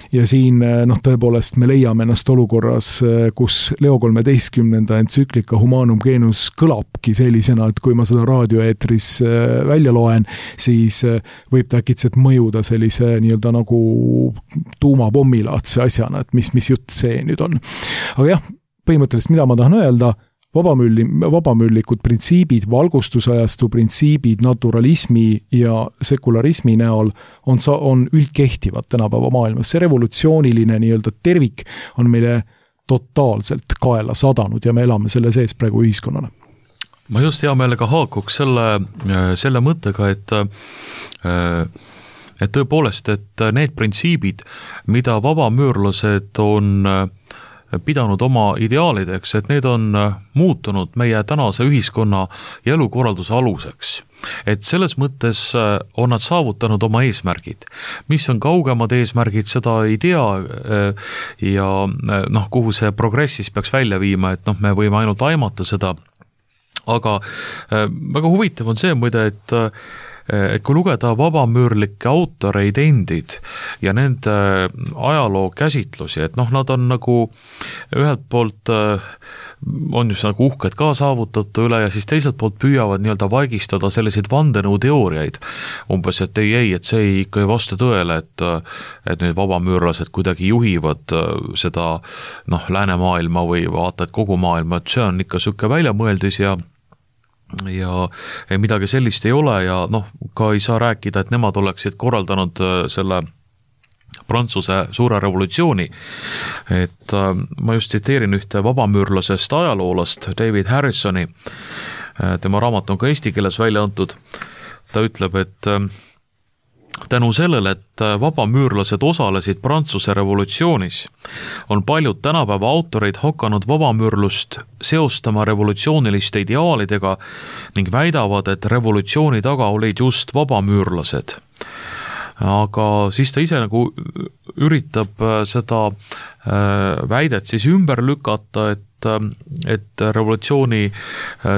ja siin tõepoolest me leiame ennast olukorras, kus Leo 13. entsüklika Humanum Genus kõlabki sellisena, et kui ma seda raadioeetris välja loen, siis võib ta äkitselt mõjuda sellise nii-öelda nagu tuumapommilaadse asjana, et mis jutt see nüüd on. Aga jah, põhimõtteliselt mida ma tahan öelda, vabamüürlikud printsiibid, valgustusajastu printsiibid naturalismi ja sekularismi näol on üldkehtivad tänapäeva maailmas. See revolutsiooniline nii-öelda tervik on meile totaalselt kaela sadanud ja me elame selle sees praegu ühiskonnana.
Ma just hea meelega haakuks selle mõttega, et tõepoolest, et need printsiibid, mida vabamüürlased on pidanud oma ideaalideks, et need on muutunud meie tänase ühiskonna ja elukorralduse aluseks. Et selles mõttes on nad saavutanud oma eesmärgid. Mis on kaugemad eesmärgid, seda ei tea ja kuhu see progressis peaks välja viima, et me võime ainult aimata seda, aga väga huvitav on see muide, et kui lugeda vabamüürlikke autoreid endid ja nende ajaloo käsitlusi, et nad on nagu ühelt poolt on just nagu uhked ka saavutatu üle ja siis teiselt poolt püüavad nii-öelda vaigistada selliseid vandenõuteooriaid. Umbes, et ei, et see ikka ei vasta tõele, et need vabamüürlased kuidagi juhivad seda läänemaailma või vaata, et kogu maailma, et see on ikka siuke väljamõeldis ja midagi sellist ei ole ja ka ei saa rääkida, et nemad oleksid korraldanud selle Prantsuse suure revolutsiooni. Et ma just tsiteerin ühte vabamüürlasest ajaloolast David Harrisoni, tema raamat on ka eesti keeles välja antud, ta ütleb, et tänu sellele, et vabamüürlased osalesid Prantsuse revolutsioonis, on paljud tänapäeva autorid hakanud vabamüürlust seostama revolutsiooniliste ideaalidega ning väidavad, et revolutsiooni taga olid just vabamüürlased. Aga siis ta ise nagu üritab seda väidet siis ümber lükata, et revolutsiooni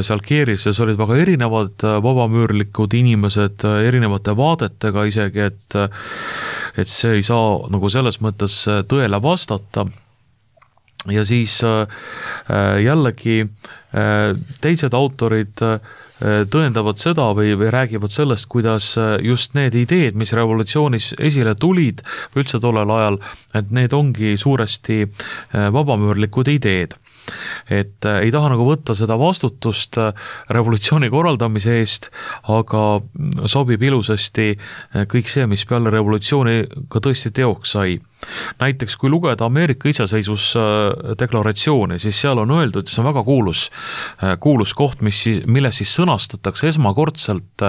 seal keerises olid väga erinevad vabamüürlikud inimesed erinevate vaadetega isegi, et see ei saa nagu selles mõttes tõele vastata. Ja siis jällegi teised autorid tõendavad seda või räägivad sellest, kuidas just need ideed, mis revolutsioonis esile tulid või üldse tollel ajal, et need ongi suuresti vabamüürlikud ideed. Et ei taha nagu võtta seda vastutust revolutsiooni korraldamise eest, aga sobib ilusasti kõik see, mis peale revolutsiooni ka tõesti teoks sai. Näiteks kui lugeda Ameerika iseseisvusdeklaratsiooni, siis seal on öeldud, see on väga kuulus koht, milles siis sõnastatakse esmakordselt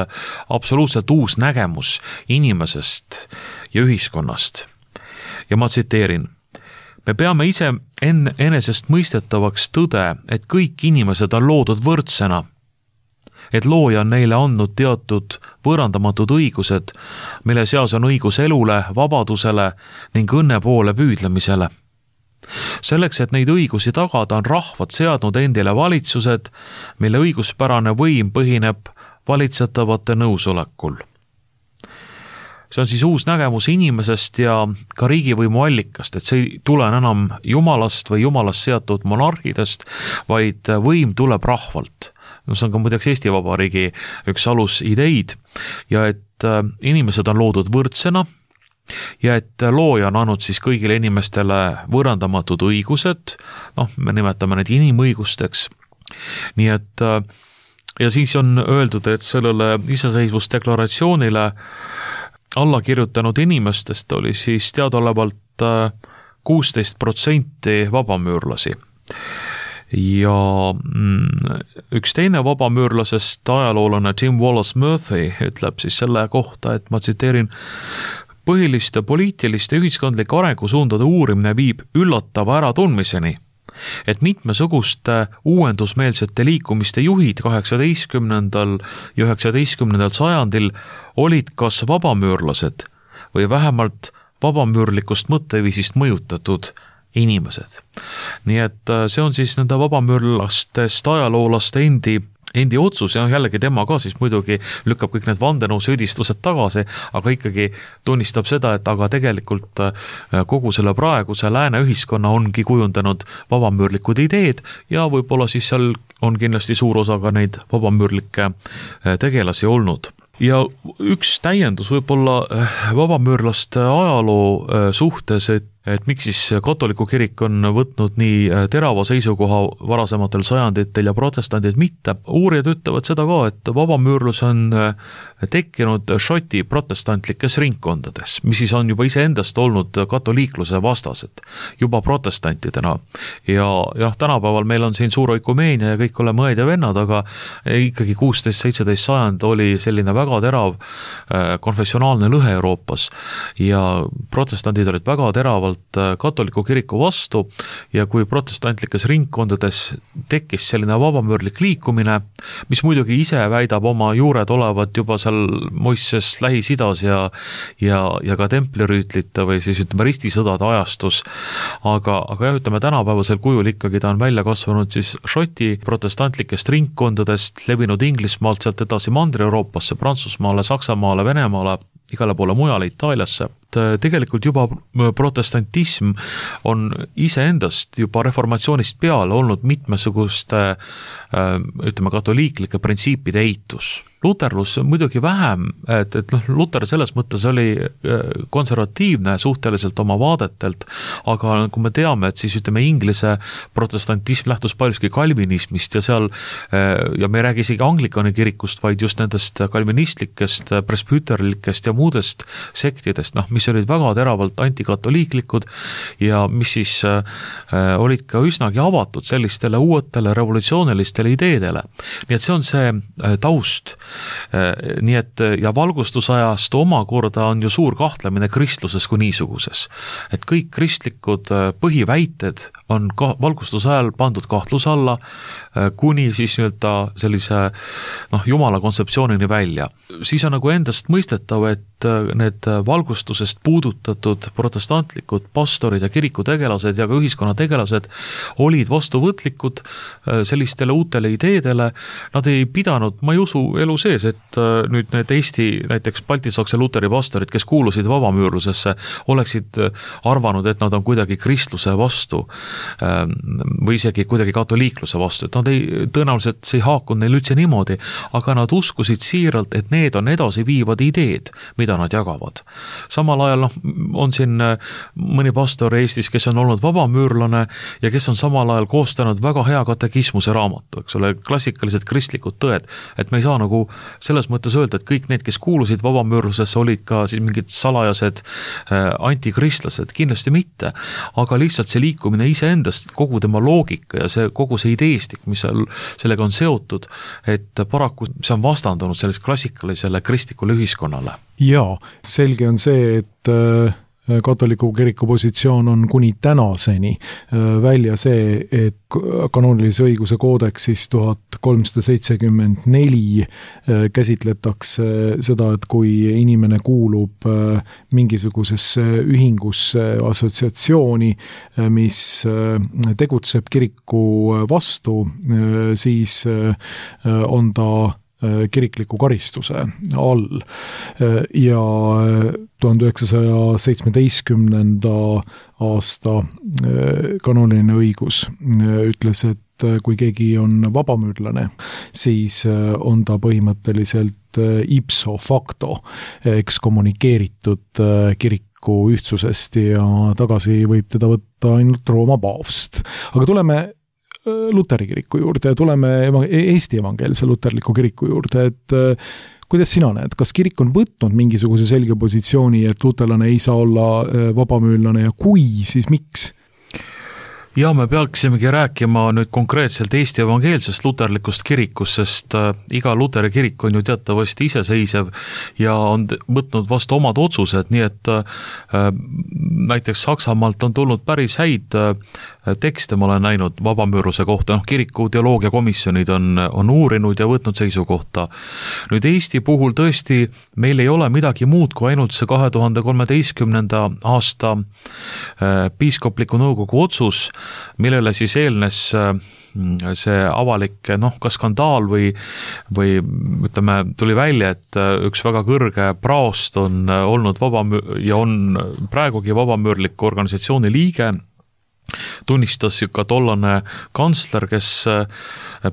absoluutselt uus nägemus inimesest ja ühiskonnast. Ja ma tsiteerin: me peame ise enesest mõistetavaks tõde, et kõik inimesed on loodud võrdsena, et looja on neile andnud teatud võõrandamatud õigused, mille seas on õigus elule, vabadusele ning õnne poole püüdlemisele. Selleks, et neid õigusi tagada, on rahvad seadnud endile valitsused, mille õiguspärane võim põhineb valitsetavate nõusolekul. See on siis uus nägemus inimesest ja ka riigivõimu allikast, et see ei tule enam jumalast või jumalast seatud monarhidest, vaid võim tuleb rahvalt. See on ka muideks Eesti Vabariigi üks alusideid ja et inimesed on loodud võrdsena ja et looja on andnud siis kõigile inimestele võõrandamatud õigused, me nimetame need inimõigusteks, nii et ja siis on öeldud, et sellele iseseisvusdeklaratsioonile alla kirjutanud inimestest oli siis teadaolevalt 16% vabamüürlasi. Ja üks teine vabamüürlasest ajaloolane Tim Wallace-Murphy ütleb siis selle kohta, et ma tsiteerin, põhiliste poliitiliste ühiskondlike arengusuundade uurimine viib üllatava äratundmiseni, et mitmesuguste uuendusmeelsete liikumiste juhid 18. ja 19. sajandil olid kas vabamüürlased või vähemalt vabamüürlikust mõtteviisist mõjutatud inimesed. Nii et see on siis nende vabamüürlastest ajaloolaste endi otsus ja jällegi tema ka siis muidugi lükkab kõik need vandenõusüüdistused tagasi, aga ikkagi tunnistab seda, et aga tegelikult kogu selle praeguse lääne ühiskonna ongi kujundanud vabamüürlikud ideed ja võib-olla siis seal on kindlasti suur osa ka neid vabamüürlikke tegelasi olnud. Ja üks täiendus võib-olla vabamüürlaste ajaloo suhtes, et miks siis katoliku kirik on võtnud nii terava seisukoha varasematel sajanditel ja protestandid mitte. Uurijad ütlevad seda ka, et vabamüürlus on tekkinud Šoti protestantlikes ringkondades, mis siis on juba iseendast olnud katoliikluse vastased, juba protestantidena. Ja tänapäeval meil on siin suur oikumeenia ja kõik oleme õed ja vennad, aga ikkagi 16-17 sajand oli selline väga terav konfessionaalne lõhe Euroopas ja protestandid olid väga teravalt katoliku kiriku vastu ja kui protestantlikes ringkondades tekkis selline vabamüürlik liikumine, mis muidugi ise väidab oma juured olevat juba seal Moises Lähis-Idas ja ka templirüütlite või siis ütleme ristisõdade ajastus, aga jah, ütleme tänapäevasel kujul ikkagi ta on välja kasvanud siis Šoti protestantlikest ringkondadest, levinud Inglismaalt sealt edasi Mandri-Euroopasse, Prantsusmaale, Saksamaale, Venemaale, igale poole mujale, Itaaliasse. Tegelikult juba protestantism on iseendast juba reformatsioonist peale olnud mitmesuguste ütleme katoliiklike printsiipide eitus. Luterlus muidugi vähem, et Luter selles mõttes oli konservatiivne suhteliselt oma vaadetelt, aga kui me teame, et siis ütleme Inglise protestantism lähtus paljuski kalvinismist ja seal, ja me ei räägi isegi anglikani kirikust, vaid just nendest kalvinistlikest, presbüterlikest ja muudest sektidest, mis olid väga teravalt antikatoliiklikud ja mis siis olid ka üsnagi avatud sellistele uuetele revolutsioonilistele ideedele. Nii et see on see taust. Nii et ja valgustusajast omakorda on ju suur kahtlemine kristluses kui niisuguses. Et kõik kristlikud põhiväited on valgustusajal pandud kahtluse alla kuni siis sellise jumala kontseptsioonini välja. Siis on nagu endast mõistetav, et need valgustusest puudutatud protestantlikud pastorid ja kirikutegelased ja ka ühiskonnategelased olid vastuvõtlikud sellistele uutele ideedele. Nad ei pidanud, ma ei usu elu sees, et nüüd need Eesti näiteks baltisaksa luteri pastorid, kes kuulusid vabamüürlusesse, oleksid arvanud, et nad on kuidagi kristluse vastu või isegi kuidagi katoliikluse vastu, et nad tõenäoliselt see ei haakunud neil üldse niimoodi, aga nad uskusid siiralt, et need on edasiviivad ideed, mida nad jagavad. Samal ajal on siin mõni pastor Eestis, kes on olnud vabamüürlane ja kes on samal ajal koostanud väga hea katekismuse raamatu, eks ole, klassikalised kristlikud tõed, et me ei saa nagu selles mõttes öelda, et kõik need, kes kuulusid vabamüürlusesse, olid ka siis mingid salajased antikristlased, kindlasti mitte, aga lihtsalt see liikumine iseendast, kogu tema loogika ja kogu see ideestik, mis sellega on seotud, et paraku see on vastandunud sellest klassikalisele kristlikule ühiskonnale.
Jaa, selge on see, et katoliku kiriku positsioon on kuni tänaseni välja see, et kanoonilise õiguse koodeksis 1374 käsitletakse seda, et kui inimene kuulub mingisugusesse ühingusse, assotsiatsiooni, mis tegutseb kiriku vastu, siis on ta kirikliku karistuse all ja 1917. aasta kanooniline õigus ütles, et kui keegi on vabamüürlane, siis on ta põhimõtteliselt ipso facto ekskommunikeeritud kiriku ühtsusest ja tagasi võib teda võtta ainult Rooma paavst. Aga tuleme Luteri kiriku juurde ja tuleme Eesti evangeelse luterliku kiriku juurde, et kuidas sina näed, kas kirik on võtnud mingisuguse selge positsiooni, et luterlane ei saa olla vabamüürlane ja kui, siis miks?
Ja me peaksimegi rääkima nüüd konkreetselt Eesti evangeelsest luterlikust kirikust, sest iga luteri kirik on ju teatavasti iseseisev ja on võtnud vastu omad otsused, nii et näiteks Saksamaalt on tulnud päris häid tekste, ma olen näinud vabamüürluse kohta, kiriku teoloogiakomisjonid on uurinud ja võtnud seisukohta. Nüüd Eesti puhul tõesti meil ei ole midagi muud kui ainult see 2013. aasta piiskopliku nõukogu otsus, millele siis eelnes see avalik ka skandaal või ütleme, tuli välja, et üks väga kõrge praost on olnud ja on praegugi vabamüürliku organisatsiooni liige, tunnistas ka tollane kantsler, kes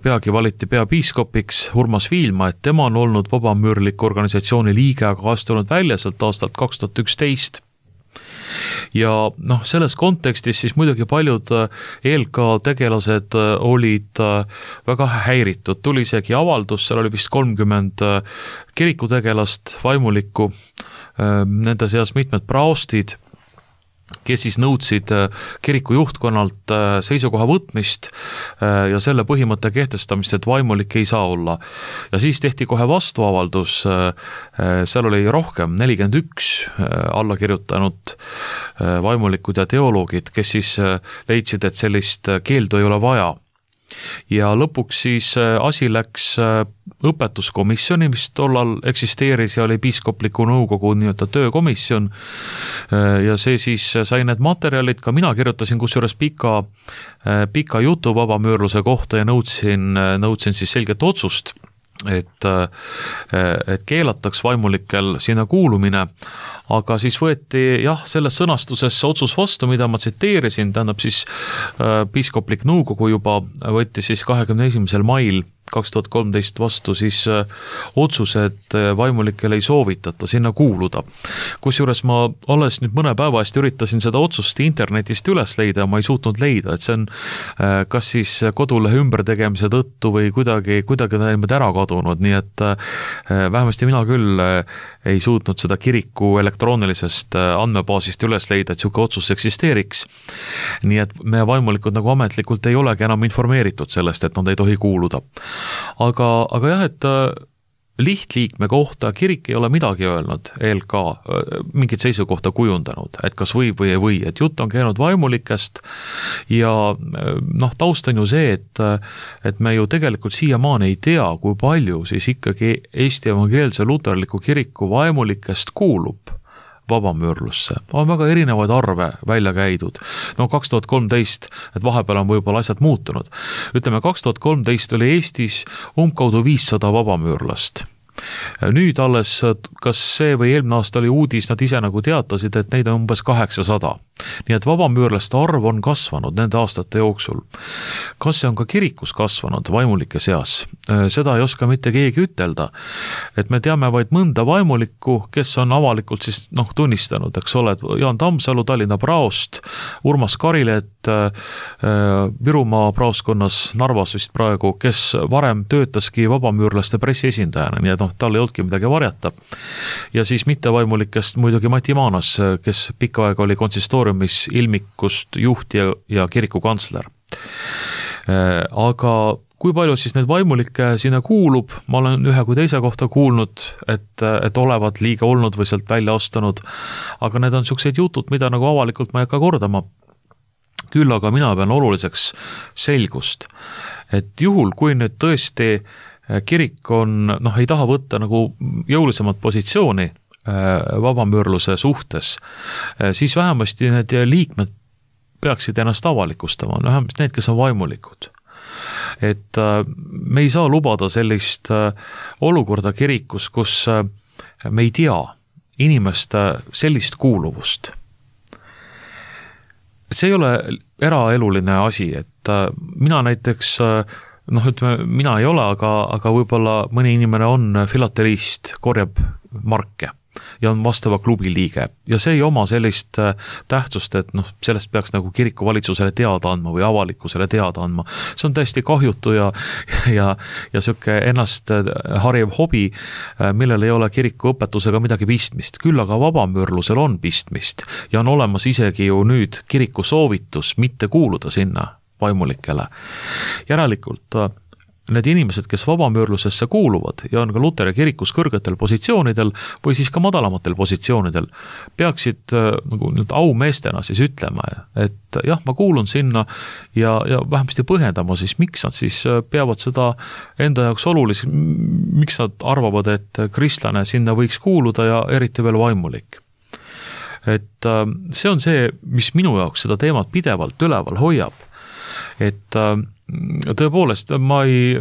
peagi valiti peapiiskopiks, Urmas Viilma, et tema on olnud vabamüürliku organisatsiooni liige, aga astunud välja sealt aastalt 2011. Ja selles kontekstis siis muidugi paljud ELK tegelased olid väga häiritud. Tuli isegi avaldus, seal oli vist 30 kirikutegelast, vaimulikku, nende seas mitmed praostid, kes siis nõudsid kiriku juhtkonnalt seisukoha võtmist ja selle põhimõtte kehtestamist, et vaimulik ei saa olla. Ja siis tehti kohe vastuavaldus, seal oli rohkem, 41 allakirjutanud vaimulikud ja teoloogid, kes siis leidsid, et sellist keeldu ei ole vaja. Ja lõpuks siis asi läks õpetuskomisjoni, mis tollal eksisteeris ja oli piiskopliku nõukogu nii-öelda töökomisjon ja see siis sai need materjalid, ka mina kirjutasin kusjuures pika jutu vabamüürluse kohta ja nõudsin siis selget otsust, et keelataks vaimulikel sinna kuulumine, aga siis võeti selles sõnastuses otsus vastu, mida ma tsiteerisin, tähendab siis piiskoplik nõukogu juba võtti siis 21. mail 2013 vastu siis otsuse, et vaimulikel ei soovitata sinna kuuluda. Kusjuures ma alles nüüd mõne päeva eest üritasin seda otsust internetist üles leida ja ma ei suutnud leida, et see on kas siis kodulehe ümbertegemise tõttu või kuidagi ta ära kadunud, nii et vähemasti mina küll ei suutnud seda kiriku elektroonilisest andmebaasist üles leida, et siuke otsus eksisteeriks. Nii et meie vaimulikud nagu ametlikult ei olegi enam informeeritud sellest, et nad ei tohi kuuluda. Aga jah, et lihtliikme kohta kirik ei ole midagi öelnud, ELK mingit seisukohta kujundanud, et kas võib või ei või, et jutt on käinud vaimulikest ja taust on ju see, et me ju tegelikult siiamaani ei tea, kui palju siis ikkagi Eesti evangeelse luterliku kiriku vaimulikest kuulub vabamüürlusse. On väga erinevaid arve välja käidud. 2013, et vahepeal on võib-olla asjad muutunud. Ütleme, 2013 oli Eestis umbkaudu 500 vabamüürlast. Nüüd alles, kas see või eelmine aasta oli uudis, nad ise nagu teatasid, et neid on umbes 800. Nii et vabamüürlaste arv on kasvanud nende aastate jooksul. Kas see on ka kirikus kasvanud vaimulike seas? Seda ei oska mitte keegi ütelda. Et me teame vaid mõnda vaimulikku, kes on avalikult siis tunnistanud, eks ole, Jaan Tammsalu, Tallinna praost, Urmas Karilet, Virumaa praoskonnas Narvas vist praegu, kes varem töötaski vabamüürlaste pressiesindajana, nii et tal ei olnudki midagi varjata. Ja siis mittevaimulikest muidugi Mati Maanas, kes pikka aega oli konsistooriumis ilmikust juht ja kiriku kantsler. Aga kui palju siis neid vaimulikke sinna kuulub, ma olen ühe kui teise kohta kuulnud, et olevat liiga olnud või sealt välja astunud, aga need on niisugused jutud, mida nagu avalikult ma ei hakka kordama. Küll aga mina pean oluliseks selgust, et juhul, kui nüüd tõesti kirik on, ei taha võtta nagu jõulisemat positsiooni vabamüürluse suhtes, siis vähemasti need liikmed peaksid ennast avalikustama, vähemasti need, kes on vaimulikud. Et me ei saa lubada sellist olukorda kirikus, kus me ei tea inimeste sellist kuuluvust. See ei ole eraeluline asi, et mina näiteks, mina ei ole, aga võib-olla mõni inimene on filatelist, korjab marke ja on vastava klubi liige ja see ei oma sellist tähtsust, et sellest peaks nagu kiriku valitsusele teada andma või avalikkusele teada andma. See on täiesti kahjutu ja siuke ennast hariv hobi, millel ei ole kiriku õpetusega midagi pistmist. Küll aga vabamüürlusel on pistmist ja on olemas isegi ju nüüd kiriku soovitus mitte kuuluda sinna vaimulikele. Järelikult need inimesed, kes vabamüürlusesse kuuluvad ja on ka Luteri kirikus kõrgetel positsioonidel või siis ka madalamatel positsioonidel, peaksid nagu aumeestena siis ütlema, et jah, ma kuulun sinna ja vähemasti põhjendama siis, miks nad siis peavad seda enda jaoks oluliseks, miks nad arvavad, et kristlane sinna võiks kuuluda ja eriti veel vaimulik. Et see on see, mis minu jaoks seda teemat pidevalt üleval hoiab, et tõepoolest, ma ei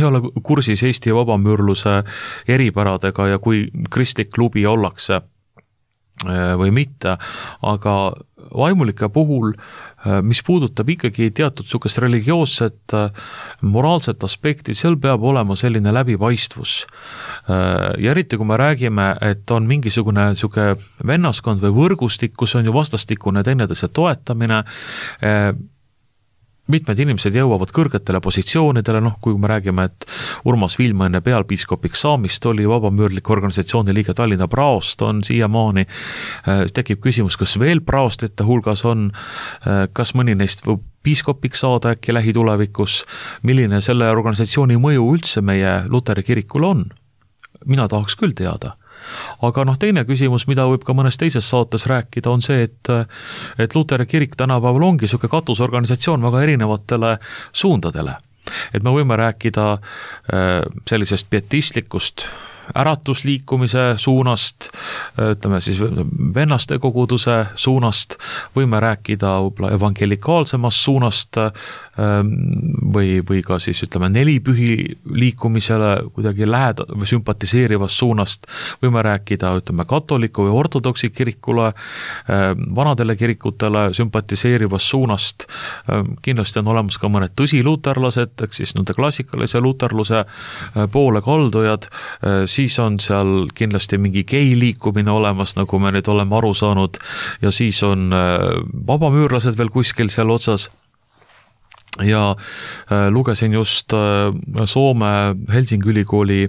ole kursis Eesti vabamüürluse eripäradega ja kui kristlik klubi ollakse või mitte, aga vaimulike puhul, mis puudutab ikkagi teatud sukest religioosset, moraalset aspekti, seal peab olema selline läbipaistvus. Ja eriti, kui me räägime, et on mingisugune suke vennaskond või võrgustik, kus on ju vastastikune teineteise toetamine, mitmed inimesed jõuavad kõrgetele positsioonidele, kui me räägime, et Urmas Vilma enne pealpiiskopiks saamist oli vabamüürliku organisatsiooni liige Tallinna praost, on siiamaani, tekib küsimus, kas veel praostite hulgas on, kas mõni neist võib piiskopiks saada äkki lähitulevikus, milline selle organisatsiooni mõju üldse meie Luteri kirikul on? Mina tahaks küll teada. Aga teine küsimus, mida võib ka mõnes teises saates rääkida, on see, et Luteri kirik tänapäeval ongi siuke katusorganisatsioon väga erinevatele suundadele. Et me võime rääkida sellisest pietistlikust äratusliikumise suunast, ütleme siis vennaste koguduse suunast, võime rääkida evangelikaalsemast suunast või ka siis ütleme nelipühi liikumisele kuidagi või sümpatiseerivast suunast, võime rääkida ütleme katoliku või ortodoksi kirikule, vanadele kirikutele sümpatiseerivast suunast, kindlasti on olemas ka mõned tõsiluterlased, ehk siis klassikalise luterluse poole kaldujad, siis on seal kindlasti mingi gei liikumine olemas, nagu me nüüd oleme aru saanud, ja siis on vabamüürlased veel kuskil seal otsas. Ja lugesin just Soome Helsingi ülikooli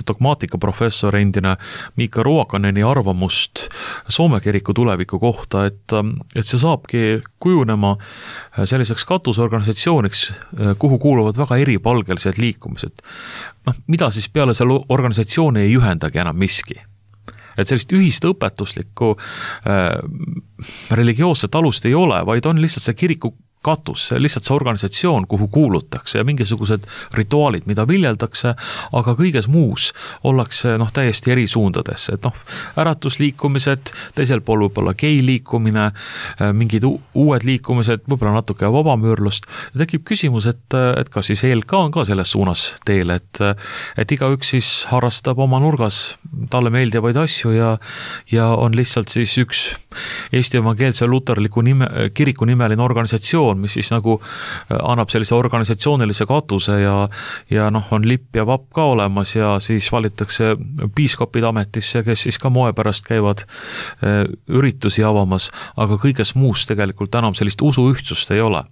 dogmaatika professor endine Miika Ruokaneni arvamust Soome kiriku tuleviku kohta, et see saabki kujunema selliseks katusorganisatsiooniks, kuhu kuuluvad väga eripalgelised liikumised. Mida siis peale selle organisatsiooni ei ühendagi enam miski? Et sellist ühist õpetuslikku religioosset alust ei ole, vaid on lihtsalt see kiriku katus, lihtsalt see organisatsioon, kuhu kuulutakse ja mingisugused rituaalid, mida viljeldakse, aga kõiges muus ollakse täiesti eri suundades. Et äratusliikumised, teisel pool võib-olla gei liikumine, mingid uued liikumised, võib-olla natuke vabamüürlust. Ja tekib küsimus, et kas siis ELK on ka selles suunas teel, et igaüks siis harrastab oma nurgas talle meeldivaid asju ja on lihtsalt siis üks Eesti evangeelse luterliku kiriku nimeline organisatsioon, mis siis nagu annab sellise organisatsioonilise katuse ja on lipp ja vapp ka olemas ja siis valitakse piiskopid ametisse, kes siis ka moe pärast käivad üritusi avamas, aga kõiges muus tegelikult enam sellist usuühtsust ei ole.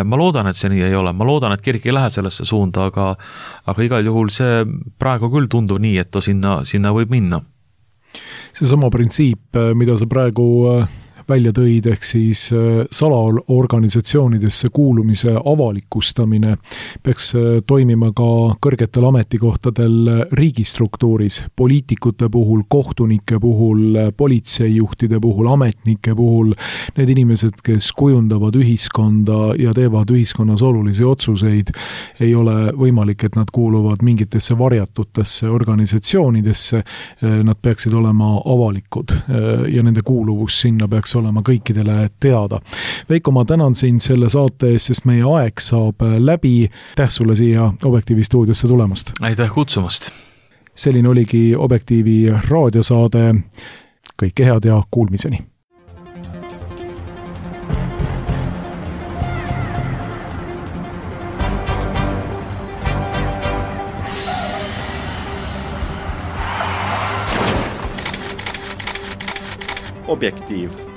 Ma loodan, et see nii ei ole, ma loodan, et kirik ei lähe sellesse suunda, aga igal juhul see praegu küll tundub nii, et ta sinna võib minna.
See sama printsiip, mida sa praegu välja tõid, ehk siis salaorganisatsioonidesse kuulumise avalikustamine peaks toimima ka kõrgetel ametikohtadel riigistruktuuris, poliitikute puhul, kohtunike puhul, politseijuhtide puhul, ametnike puhul, need inimesed, kes kujundavad ühiskonda ja teevad ühiskonnas olulisi otsuseid, ei ole võimalik, et nad kuuluvad mingitesse varjatutesse organisatsioonidesse, nad peaksid olema avalikud ja nende kuuluvus sinna peaks olema kõikidele teada. Veiko, ma tänan sind selle saate eest, sest meie aeg saab läbi. Aitäh sulle siia Objektiivi stuudiosse tulemast.
Aitäh kutsumast.
Selline oligi Objektiivi raadiosaade. Kõike head ja kuulmiseni.
Objektiiv.